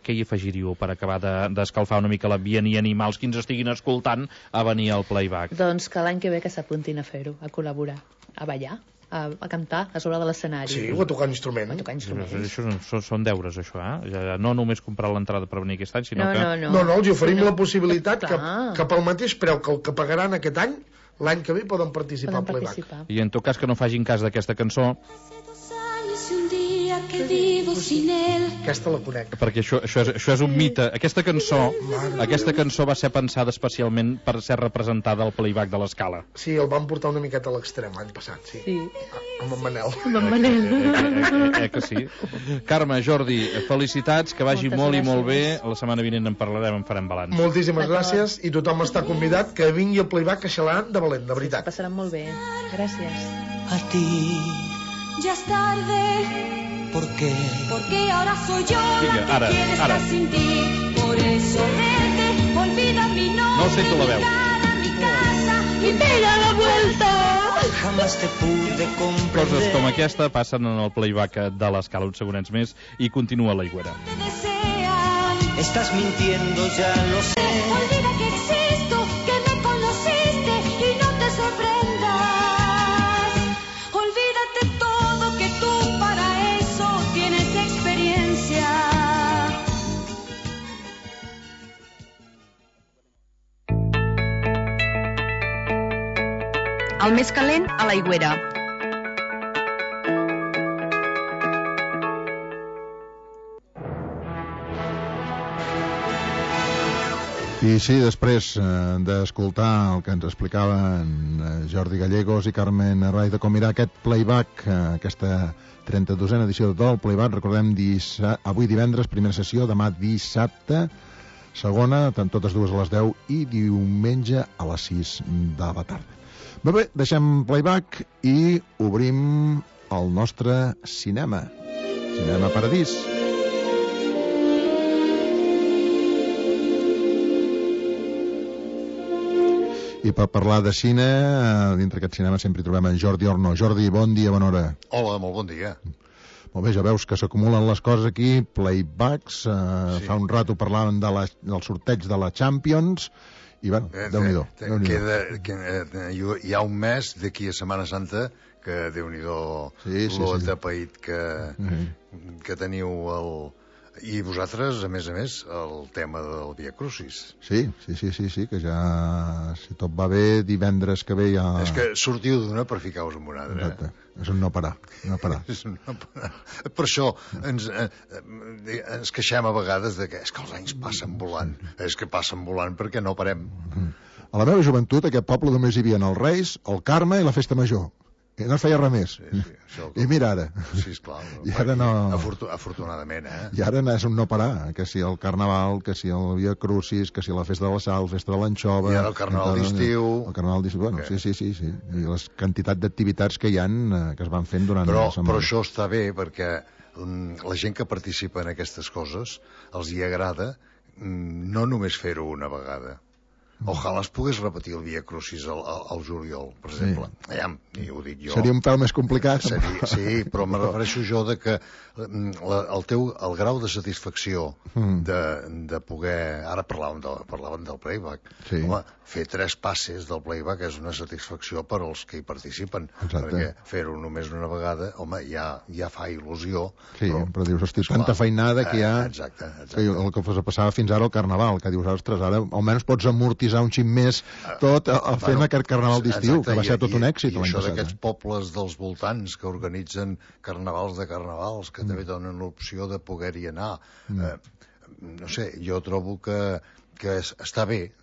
Què hi afegiríeu per acabar d'escalfar una mica l'ambient i animar els que ens estiguin escoltant a venir al playback? Doncs que l'any que ve que s'apuntin a fer-ho, a col·laborar, a ballar, a cantar a sobre de l'escenari. Sí, o a tocar instruments. Això són deures, això, no només comprar l'entrada per venir aquest any, sinó que... No, els oferim la possibilitat que pel mateix preu que el que pagaran aquest any, l'any que ve poden participar al playback. I en tot cas que no facin cas d'aquesta cançó, aquesta la conec, perquè això és un mite. Aquesta cançó va ser pensada especialment per ser representada al playback de l'Escala. Sí, el van portar una miqueta a l'extrem l'any passat, sí. Amb en Manel. Que sí. Carme, Jordi, felicitats, que vagi molt i molt bé. La setmana vinent en parlarem, en farem balanç. Moltíssimes gràcies, i tothom està convidat que vingui al playback a xalar de valent, de veritat. Passaran molt bé. Gràcies. A ti ya es tarde. ¿Por qué? Porque ahora soy yo la que quiere estar sin ti. Por eso vete, olvida mi nombre, no sento la veu. Mi casa y pega la vuelta. Jamás te pude comprender. Coses com aquesta passen en el playback de l'Escala uns segonets més i continua l'Aigüera. Estás mintiendo, ya lo sé. Olvida que existo, que me conociste y no te sorprendas. Olvídate todo, que tú para eso tienes experiencia. El més calent a l'Aigüera. I sí, després d'escoltar el que ens explicaven Jordi Gallegos i Carmen Arraiz de com irà aquest playback, aquesta 32a edició del playback, recordem avui divendres, primera sessió, demà dissabte, segona, totes dues a les 10 i diumenge a les 6 de la tarda. Bé, deixem playback i obrim el nostre cinema. Cinema Paradís. I per parlar de cine, dintre aquest cinema sempre hi trobem en Jordi Orno. Jordi, bon dia, bona hora. Hola, molt bon dia. Molt bé, ja veus que s'acumulen les coses aquí, playbacks, fa un rato parlàvem del sorteig de la Champions, i bueno, Déu-n'hi-do. Hi ha un mes d'aquí a Setmana Santa que Déu-n'hi-do l'ol de paït que teniu I vosaltres, a més, el tema del Via Crucis. Sí, que ja, si tot va bé, divendres que ve ja... És que sortiu d'una per ficar-vos en una altra. Exacte, és un no parar. És un no parar. Per això ens queixem a vegades de que és que els anys passen volant. És que passen volant perquè no parem. A la meva joventut, aquest poble només hi havia els Reis, el Carme i la Festa Major. I no es feia res més. I mira ara. Sí, esclar. I ara no... Afortunadament, I ara és un no parar, que si el Carnaval, que si el Via Crucis, que si la Festa de la Sal, Festa de l'Anxova... I ara el Carnaval d'estiu... El Carnaval d'estiu, bueno, sí. I les quantitats d'activitats que hi han, que es van fent durant la setmana. Però això està bé, perquè la gent que participa en aquestes coses els hi agrada no només fer-ho una vegada. Ojalà es pogués repetir el Via Crucis al juliol, per exemple. I ho dic jo. Seria un pèl més complicat. Sí, però me refereixo jo de que el grau de satisfacció de poder... Ara parlàvem del playback. Home, fer 3 passes del playback és una satisfacció per als que hi participen. Perquè fer-ho només una vegada, home, ja fa il·lusió. Sí, però dius, hosti, tanta feinada que hi ha... Exacte. El que passava fins ara al Carnaval, que dius, ostres, ara almenys pots amortitzar un xic més tot fent aquest Carnaval d'estiu, que va ser tot un èxit l'any passat. I això d'aquests pobles dels voltants que organitzen carnavals de carnavals, que també donen l'opció de poder-hi anar. No sé, jo trobo que està bé,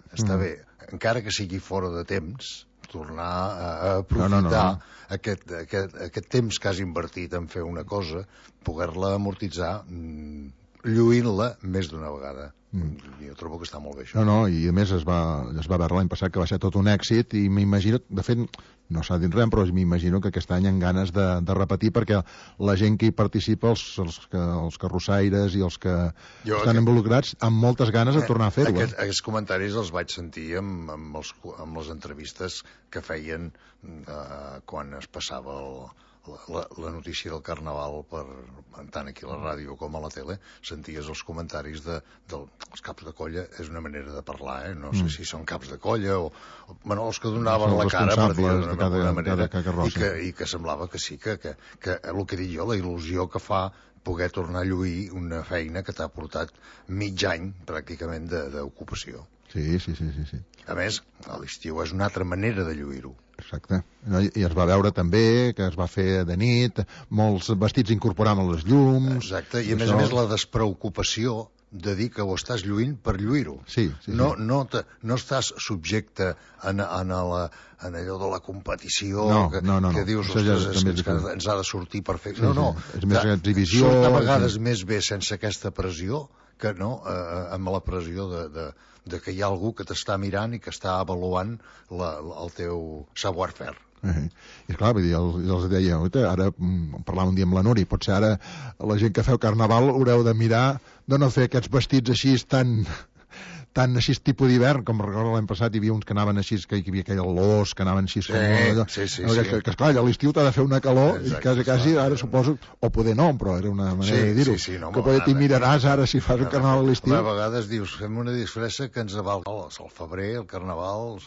encara que sigui fora de temps, tornar a aprofitar aquest temps que has invertit en fer una cosa, poder-la amortitzar lluint-la més d'una vegada. Jo trobo que està molt bé això. I a més es va veure l'any passat que va ser tot un èxit i m'imagino, de fet no s'ha dit res, però m'imagino que aquest any hi ha ganes de repetir, perquè la gent que hi participa, els carrossaires i els que estan involucrats, amb moltes ganes de tornar a fer-ho. Aquests comentaris els vaig sentir amb les entrevistes que feien quan es passava la notícia del Carnaval tant aquí a la ràdio com a la tele. Senties els comentaris dels caps de colla. És una manera de parlar, no sé si són caps de colla o els que donaven la cara, per dir-ho d'una manera, i que semblava que sí, que el que dic jo, la il·lusió que fa poder tornar a lluir una feina que t'ha portat mig any pràcticament d'ocupació. Sí. A més, a l'estiu és una altra manera de lluir-ho. Exacte. I es va veure també que es va fer de nit, molts vestits incorporaven les llums... Exacte, i a més la despreocupació de dir que ho estàs lluint per lluir-ho. Sí. No estàs subjecte en allò de la competició que dius, ostres, ens ha de sortir perfecte. No. És més exhibició. Surt a vegades més bé sense aquesta pressió que no amb la pressió de que hi ha algú que t'està mirant i que està avaluant el teu savoir-faire. I clar, vull dir, els deia, ara parlàvem un dia amb la Núria, potser ara la gent que feu Carnaval haureu de mirar de no fer aquests vestits així tan així tipus d'hivern, com recordo l'any passat hi havia uns que anaven així, que hi havia aquell l'os, que anaven així que esclar, a l'estiu t'ha de fer una calor i quasi ara suposo, o poder no, però era una manera de dir-ho, que poder t'hi miraràs ara si fas un Carnaval a l'estiu. A vegades dius, fem una disfressa que ens aval el febrer, el Carnaval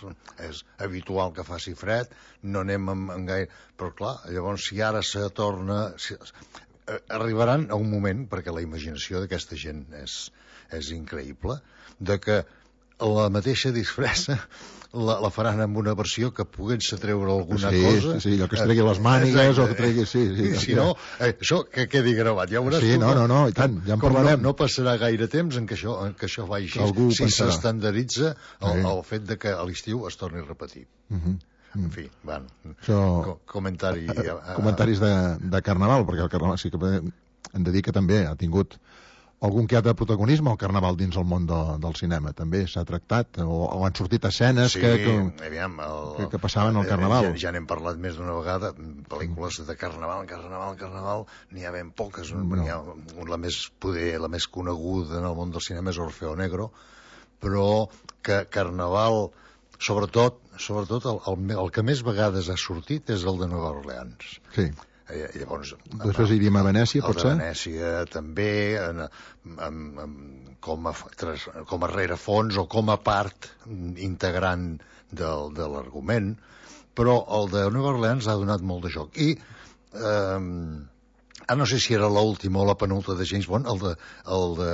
és habitual que faci fred, no anem en gaire, però clar, llavors si ara se torna arribaran a un moment, perquè la imaginació d'aquesta gent és increïble, de que la mateixa disfressa la faran amb una versió que puguin-se treure alguna cosa. Sí, allò que es tregui les mànigues o que tregui... Si no, això que quedi gravat. Ja veuràs tu. No, i tant, ja en parlarem. No passarà gaire temps en què això vagi així. Si s'estandarditza el fet de que a l'estiu es torni a repetir. En fi, comentaris de Carnaval, perquè el Carnaval sí que hem de dir que també ha tingut algun que altre protagonisme al Carnaval dins el món del cinema. També s'ha tractat, o han sortit escenes que passaven al Carnaval. Ja n'hem parlat més d'una vegada, pel·lícules de Carnaval, n'hi ha ben poques. La més coneguda en el món del cinema és Orfeo Negro, però que Carnaval Sobretot el que més vegades ha sortit és el de Nova Orleans. Sí. Llavors, després iríem a Venècia, potser? El de Venècia també, com a rerefons o com a part integrant de l'argument, però el de Nova Orleans ha donat molt de joc. I no sé si era l'última o la penúltima de James Bond, el de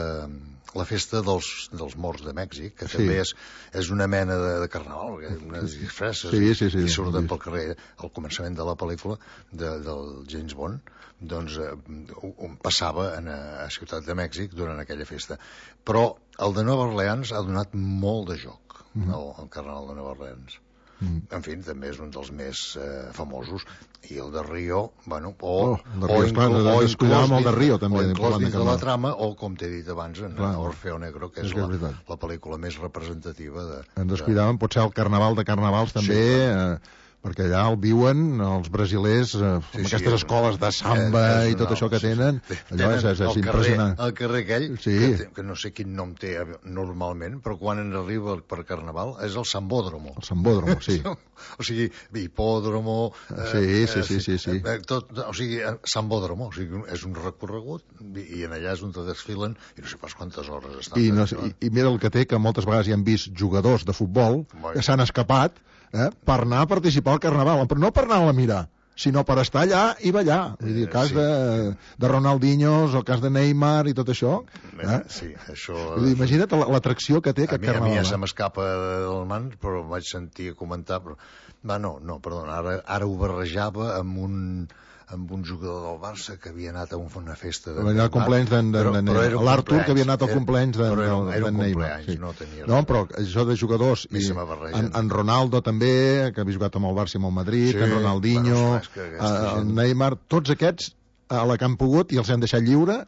la festa dels morts de Mèxic, que també és una mena de carnaval, unes disfresses, i surten pel carrer al començament de la pel·lícula del James Bond, doncs on passava a Ciutat de Mèxic durant aquella festa. Però el de Nova Orleans ha donat molt de joc, el carnaval de Nova Orleans. En fi, també és un dels més famosos, i el de Rio, bueno, descuidàvem el de Rio també, inclòs dins de la trama, o com t'he dit abans, en Orfeo Negro, que és la pel·lícula més representativa de... Ens descuidàvem, potser el Carnaval de Carnavals també, perquè allà el viuen els brasilers amb aquestes escoles de samba i tot això que tenen. Allò és impressionant. El carrer aquell, que no sé quin nom té normalment, però quan arriba per Carnaval és el Sambódromo. El Sambódromo, sí. O sigui, hipòdromo... Sí. O sigui, Sambódromo, o sigui, és un recorregut i en allà és on te desfilen i no sé pas quantes hores estan. I mira el que té, que moltes vegades hi han vist jugadors de futbol que s'han escapat per anar a participar al Carnaval, però no per anar a mirar, sinó per estar allà i ballar. Vull dir, el cas de Ronaldinho, el cas de Neymar i tot això. Sí, això... Imagina't l'atracció que té aquest Carnaval. A mi ja se m'escapa del mans, però vaig sentir comentar... Perdona, ara ho barrejava amb un jugador del Barça que havia anat a una festa de Neymar. L'Artur, que havia anat al cumpleaños de Neymar. No, però això de jugadors, en Ronaldo també, que havia jugat amb el Barça i amb el Madrid, en Ronaldinho, el Neymar, tots aquests a la que han pogut i els han deixat lliure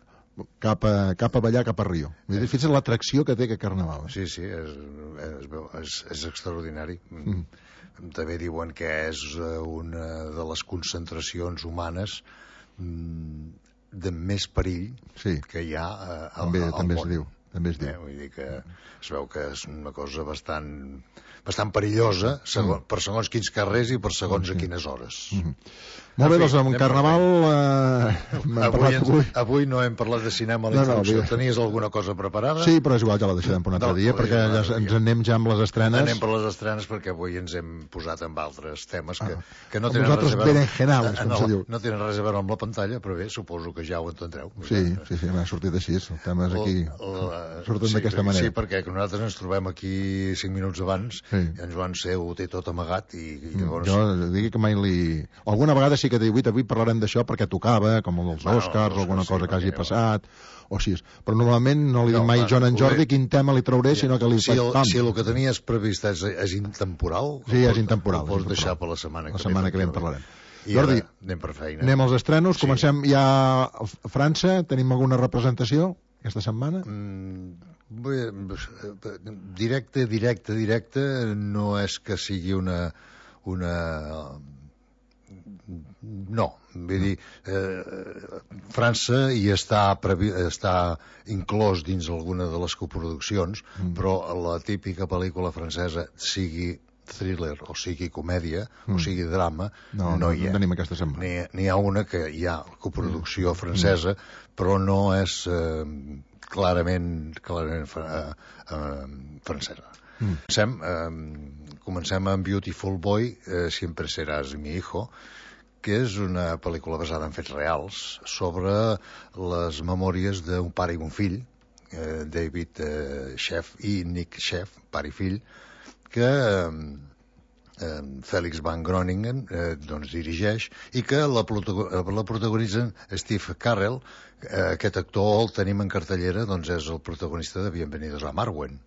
cap a ballar, cap a Rio. Fins a l'atracció que té aquest Carnaval. Sí, és extraordinari. També diuen que és una de les concentracions humanes de més perill que hi ha al món. També es diu. Vull dir que es veu que és una cosa bastant perillosa per segons quins carrers i per segons a quines hores. Molt bé, doncs amb Carnaval... Avui no hem parlat de cinema a la introducció. Tenies alguna cosa preparada? Sí, però és igual, ja la deixarem per un altre dia, perquè ens anem ja amb les estrenes. Anem per les estrenes perquè avui ens hem posat amb altres temes que no tenen res a veure... No tenen res a veure amb la pantalla, però bé, suposo que ja ho entendreu. Sí, m'ha sortit així, els temes aquí surten d'aquesta manera. Sí, perquè nosaltres ens trobem aquí 5 minuts abans i en Joan Seu ho té tot amagat i llavors... Jo digui que mai li... Alguna vegada sí que t'he dit, avui parlarem d'això perquè tocava, com els Oscars o alguna cosa que hagi passat, o així. Però normalment no li dic mai Joan en Jordi quin tema li trauré, sinó que li faig pam. Si el que tenies previst és intemporal, sí, és intemporal. Ho pots deixar per la setmana que ve. La setmana que ve en parlarem. Jordi, anem per feina. Anem als estrenos, comencem ja a França, tenim alguna representació aquesta setmana? Directe, no és que sigui una... No, vull dir, França hi està inclòs dins alguna de les coproduccions, però la típica pel·lícula francesa, sigui thriller o sigui comèdia o sigui drama, no hi ha. No tenim aquesta setmana. N'hi ha una que hi ha coproducció francesa, però no és clarament francesa. Comencem amb Beautiful Boy, Siempre serás mi hijo, que és una pel·lícula basada en fets reals sobre les memòries d'un pare i un fill, David Sheff i Nick Sheff, pare i fill, que Felix Van Groningen dirigeix i que la protagonitzen Steve Carell. Aquest actor el tenim en cartellera, és el protagonista de Bienvenidos a Marwen.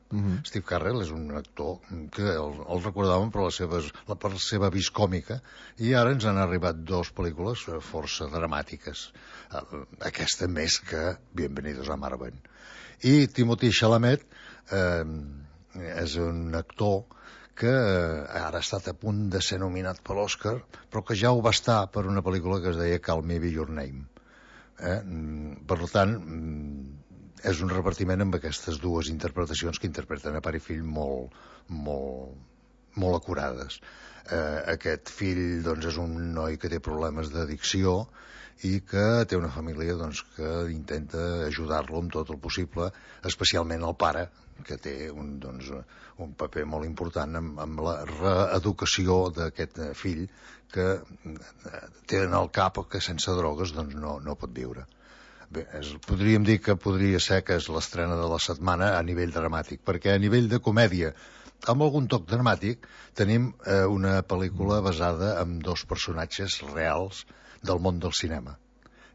Steve Carell és un actor que el recordàvem per la seva vis còmica i ara ens han arribat 2 pel·lícules força dramàtiques, aquesta més que Bienvenidos a Marwen. I Timothée Chalamet és un actor que ara ha estat a punt de ser nominat per l'Oscar, però que ja ho va estar per una pel·lícula que es deia Call Me By Your Name. Per tant, és un repartiment amb aquestes dues interpretacions que interpreten a pare i fill molt molt acurades. Aquest fill doncs, és un noi que té problemes d'addicció i que té una família doncs, que intenta ajudar-lo amb tot el possible, especialment el pare, que té un paper molt important amb la reeducació d'aquest fill que té en el cap que sense drogues doncs, no pot viure. Bé, podríem dir que podria ser que és l'estrena de la setmana a nivell dramàtic, perquè a nivell de comèdia, amb algun toc dramàtic, tenim una pel·lícula basada en 2 personatges reals del món del cinema,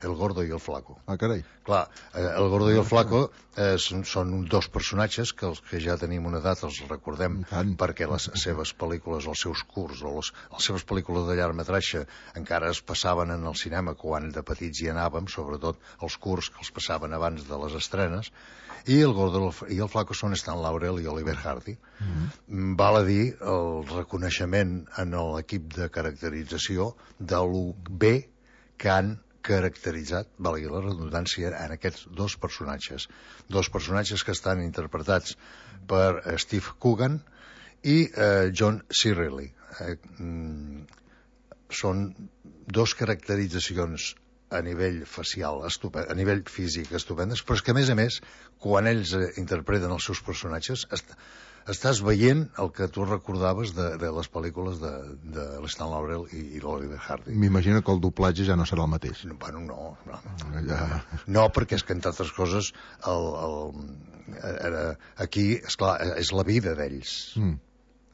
el Gordo i el Flaco. Ah, carai. Clar, el Gordo i el Flaco són 2 personatges que els que ja tenim una edat els recordem perquè les seves pel·lícules, els seus curts o les seves pel·lícules de llargmetratge encara es passaven en el cinema quan de petits hi anàvem, sobretot els curts que els passaven abans de les estrenes, i el Gordo i el Flaco són Stan Laurel i Oliver Hardy. Val a dir el reconeixement en l'equip de caracterització de lo bé que han caracteritzat, valgui la redundància, en aquests 2 personatges. 2 personatges que estan interpretats per Steve Coogan i John C. Reilly. Són 2 caracteritzacions a nivell facial, a nivell físic estupendes, però és que, a més, quan ells interpreten els seus personatges, estàs veient el que tu recordaves de les pel·lícules de l'Stan Laurel i l'Oliver Hardy. M'imagino que el doblatge ja no serà el mateix. Bueno, no. No, perquè és que, entre altres coses, aquí, esclar, és la vida d'ells.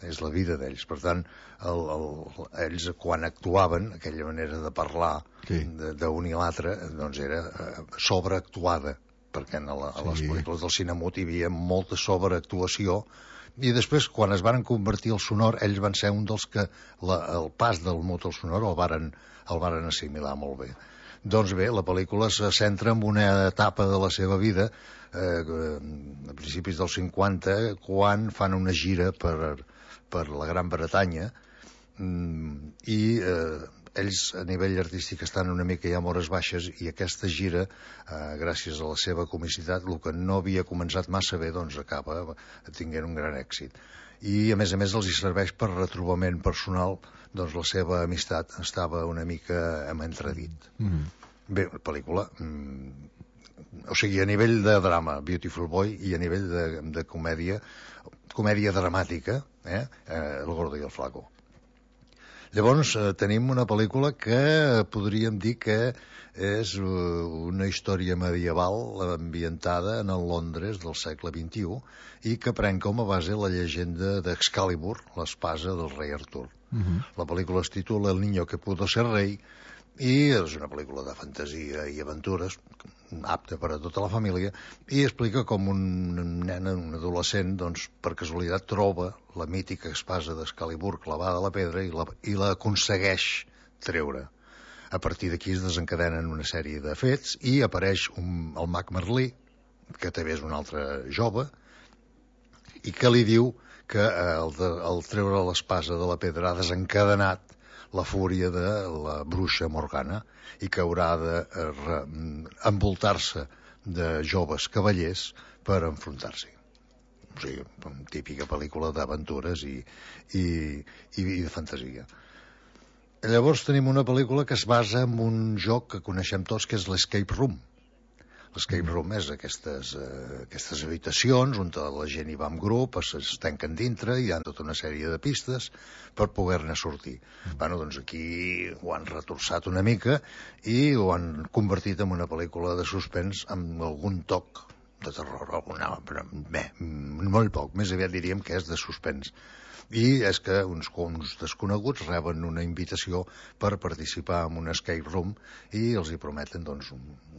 És la vida d'ells. Per tant, ells, quan actuaven, aquella manera de parlar d'un i l'altre, doncs era sobreactuada, perquè a les pel·lícules del cine mut hi havia molta sobreactuació, i després, quan es van convertir al sonor, ells van ser un dels que el pas del mut al sonor el varen assimilar molt bé. Doncs bé, la pel·lícula se centra en una etapa de la seva vida, a principis dels 50, quan fan una gira per la Gran Bretanya, i ells a nivell artístic estan una mica ja a hores baixes, i aquesta gira, gràcies a la seva comicitat, el que no havia començat massa bé, doncs acaba tinguent un gran èxit. I a més els hi serveix per retrobament personal, doncs la seva amistat estava una mica en entredit. Bé, la pel·lícula, o sigui, a nivell de drama, Beautiful Boy, i a nivell de comèdia dramàtica, El Gordo i el Flaco. Llavors tenim una pel·lícula que podríem dir que és una història medieval ambientada en el Londres del segle XXI i que pren com a base la llegenda d'Excalibur, l'espasa del rei Artur. La pel·lícula es titula El niño que pudo ser rei i és una pel·lícula de fantasia i aventures apta per a tota la família, i explica com un nen, un adolescent, doncs, per casualitat troba la mítica espasa d'Excalibur clavada a la pedra i l'aconsegueix treure. A partir d'aquí es desencadenen una sèrie de fets i apareix el mag Merlí, que també és un altre jove, i que li diu que el treure l'espasa de la pedra ha desencadenat la fúria de la bruixa Morgana i que haurà d'envoltar-se de joves cavallers per enfrontar-s'hi. O sigui, típica pel·lícula d'aventures i de fantasia. Llavors tenim una pel·lícula que es basa en un joc que coneixem tots, que és l'Escape Room. L'Escape Room és aquestes habitacions on la gent hi va en grup, es tanquen dintre, hi ha tota una sèrie de pistes per poder-ne sortir. Bueno, doncs aquí ho han retorçat una mica i ho han convertit en una pel·lícula de suspens amb algun toc de terror, però molt poc, més aviat diríem que és de suspens. I és que uns desconeguts reben una invitació per participar en un escape room i els hi prometen, doncs,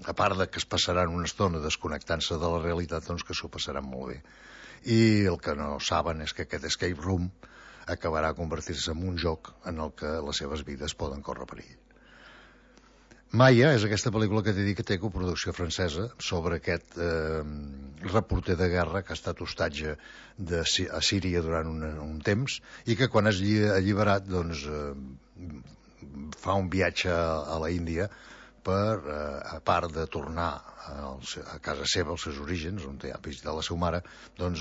a part de que es passaran una estona desconnectant-se de la realitat, doncs que s'ho passaran molt bé. I el que no saben és que aquest escape room acabarà convertir-se en un joc en el que les seves vides poden córrer perill. Maya és aquesta pel·lícula que t'he dit que té coproducció francesa sobre aquest reporter de guerra que ha estat hostatge a Síria durant un temps i que quan és alliberat doncs fa un viatge a la Índia a part de tornar a casa seva, als seus orígens, on ha visitat la seva mare, doncs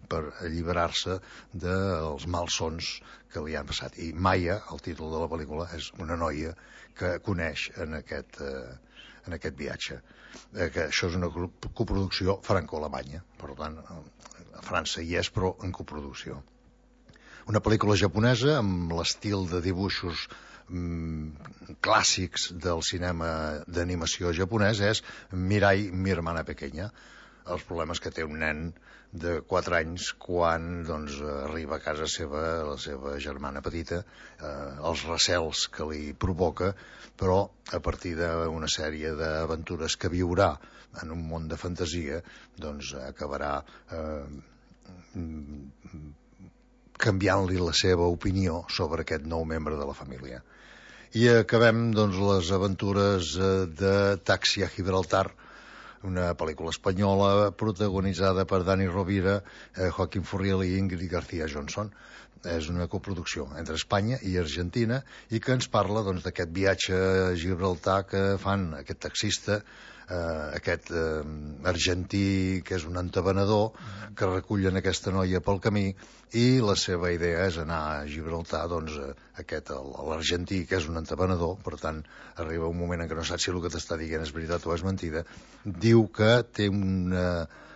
per alliberar-se dels malsons que li han passat. I Maya, el títol de la pel·lícula, és una noia que coneix en aquest viatge. Que això és una coproducció franco-alemanya, per tant, a França hi és, però en coproducció. Una pel·lícula japonesa amb l'estil de dibuixos clàssics del cinema d'animació japonès és Mirai, mi hermana pequeña. Els problemes que té un nen de 4 anys quan arriba a casa seva la seva germana petita, els recels que li provoca, però a partir d'una sèrie d'aventures que viurà en un món de fantasia, doncs acabarà canviant-li la seva opinió sobre aquest nou membre de la família. I acabem les aventures de Taxi a Gibraltar, una pel·lícula espanyola protagonitzada per Dani Rovira, Joaquín Furriel i Ingrid García Johnson. És una coproducció entre Espanya i Argentina i que ens parla d'aquest viatge a Gibraltar que fan aquest taxista, aquest argentí que és un entabanador, que recullen aquesta noia pel camí, i la seva idea és anar a Gibraltar. L'argentí, que és un entabanador, per tant arriba un moment en què no saps si el que t'està dient és veritat o és mentida, diu que té una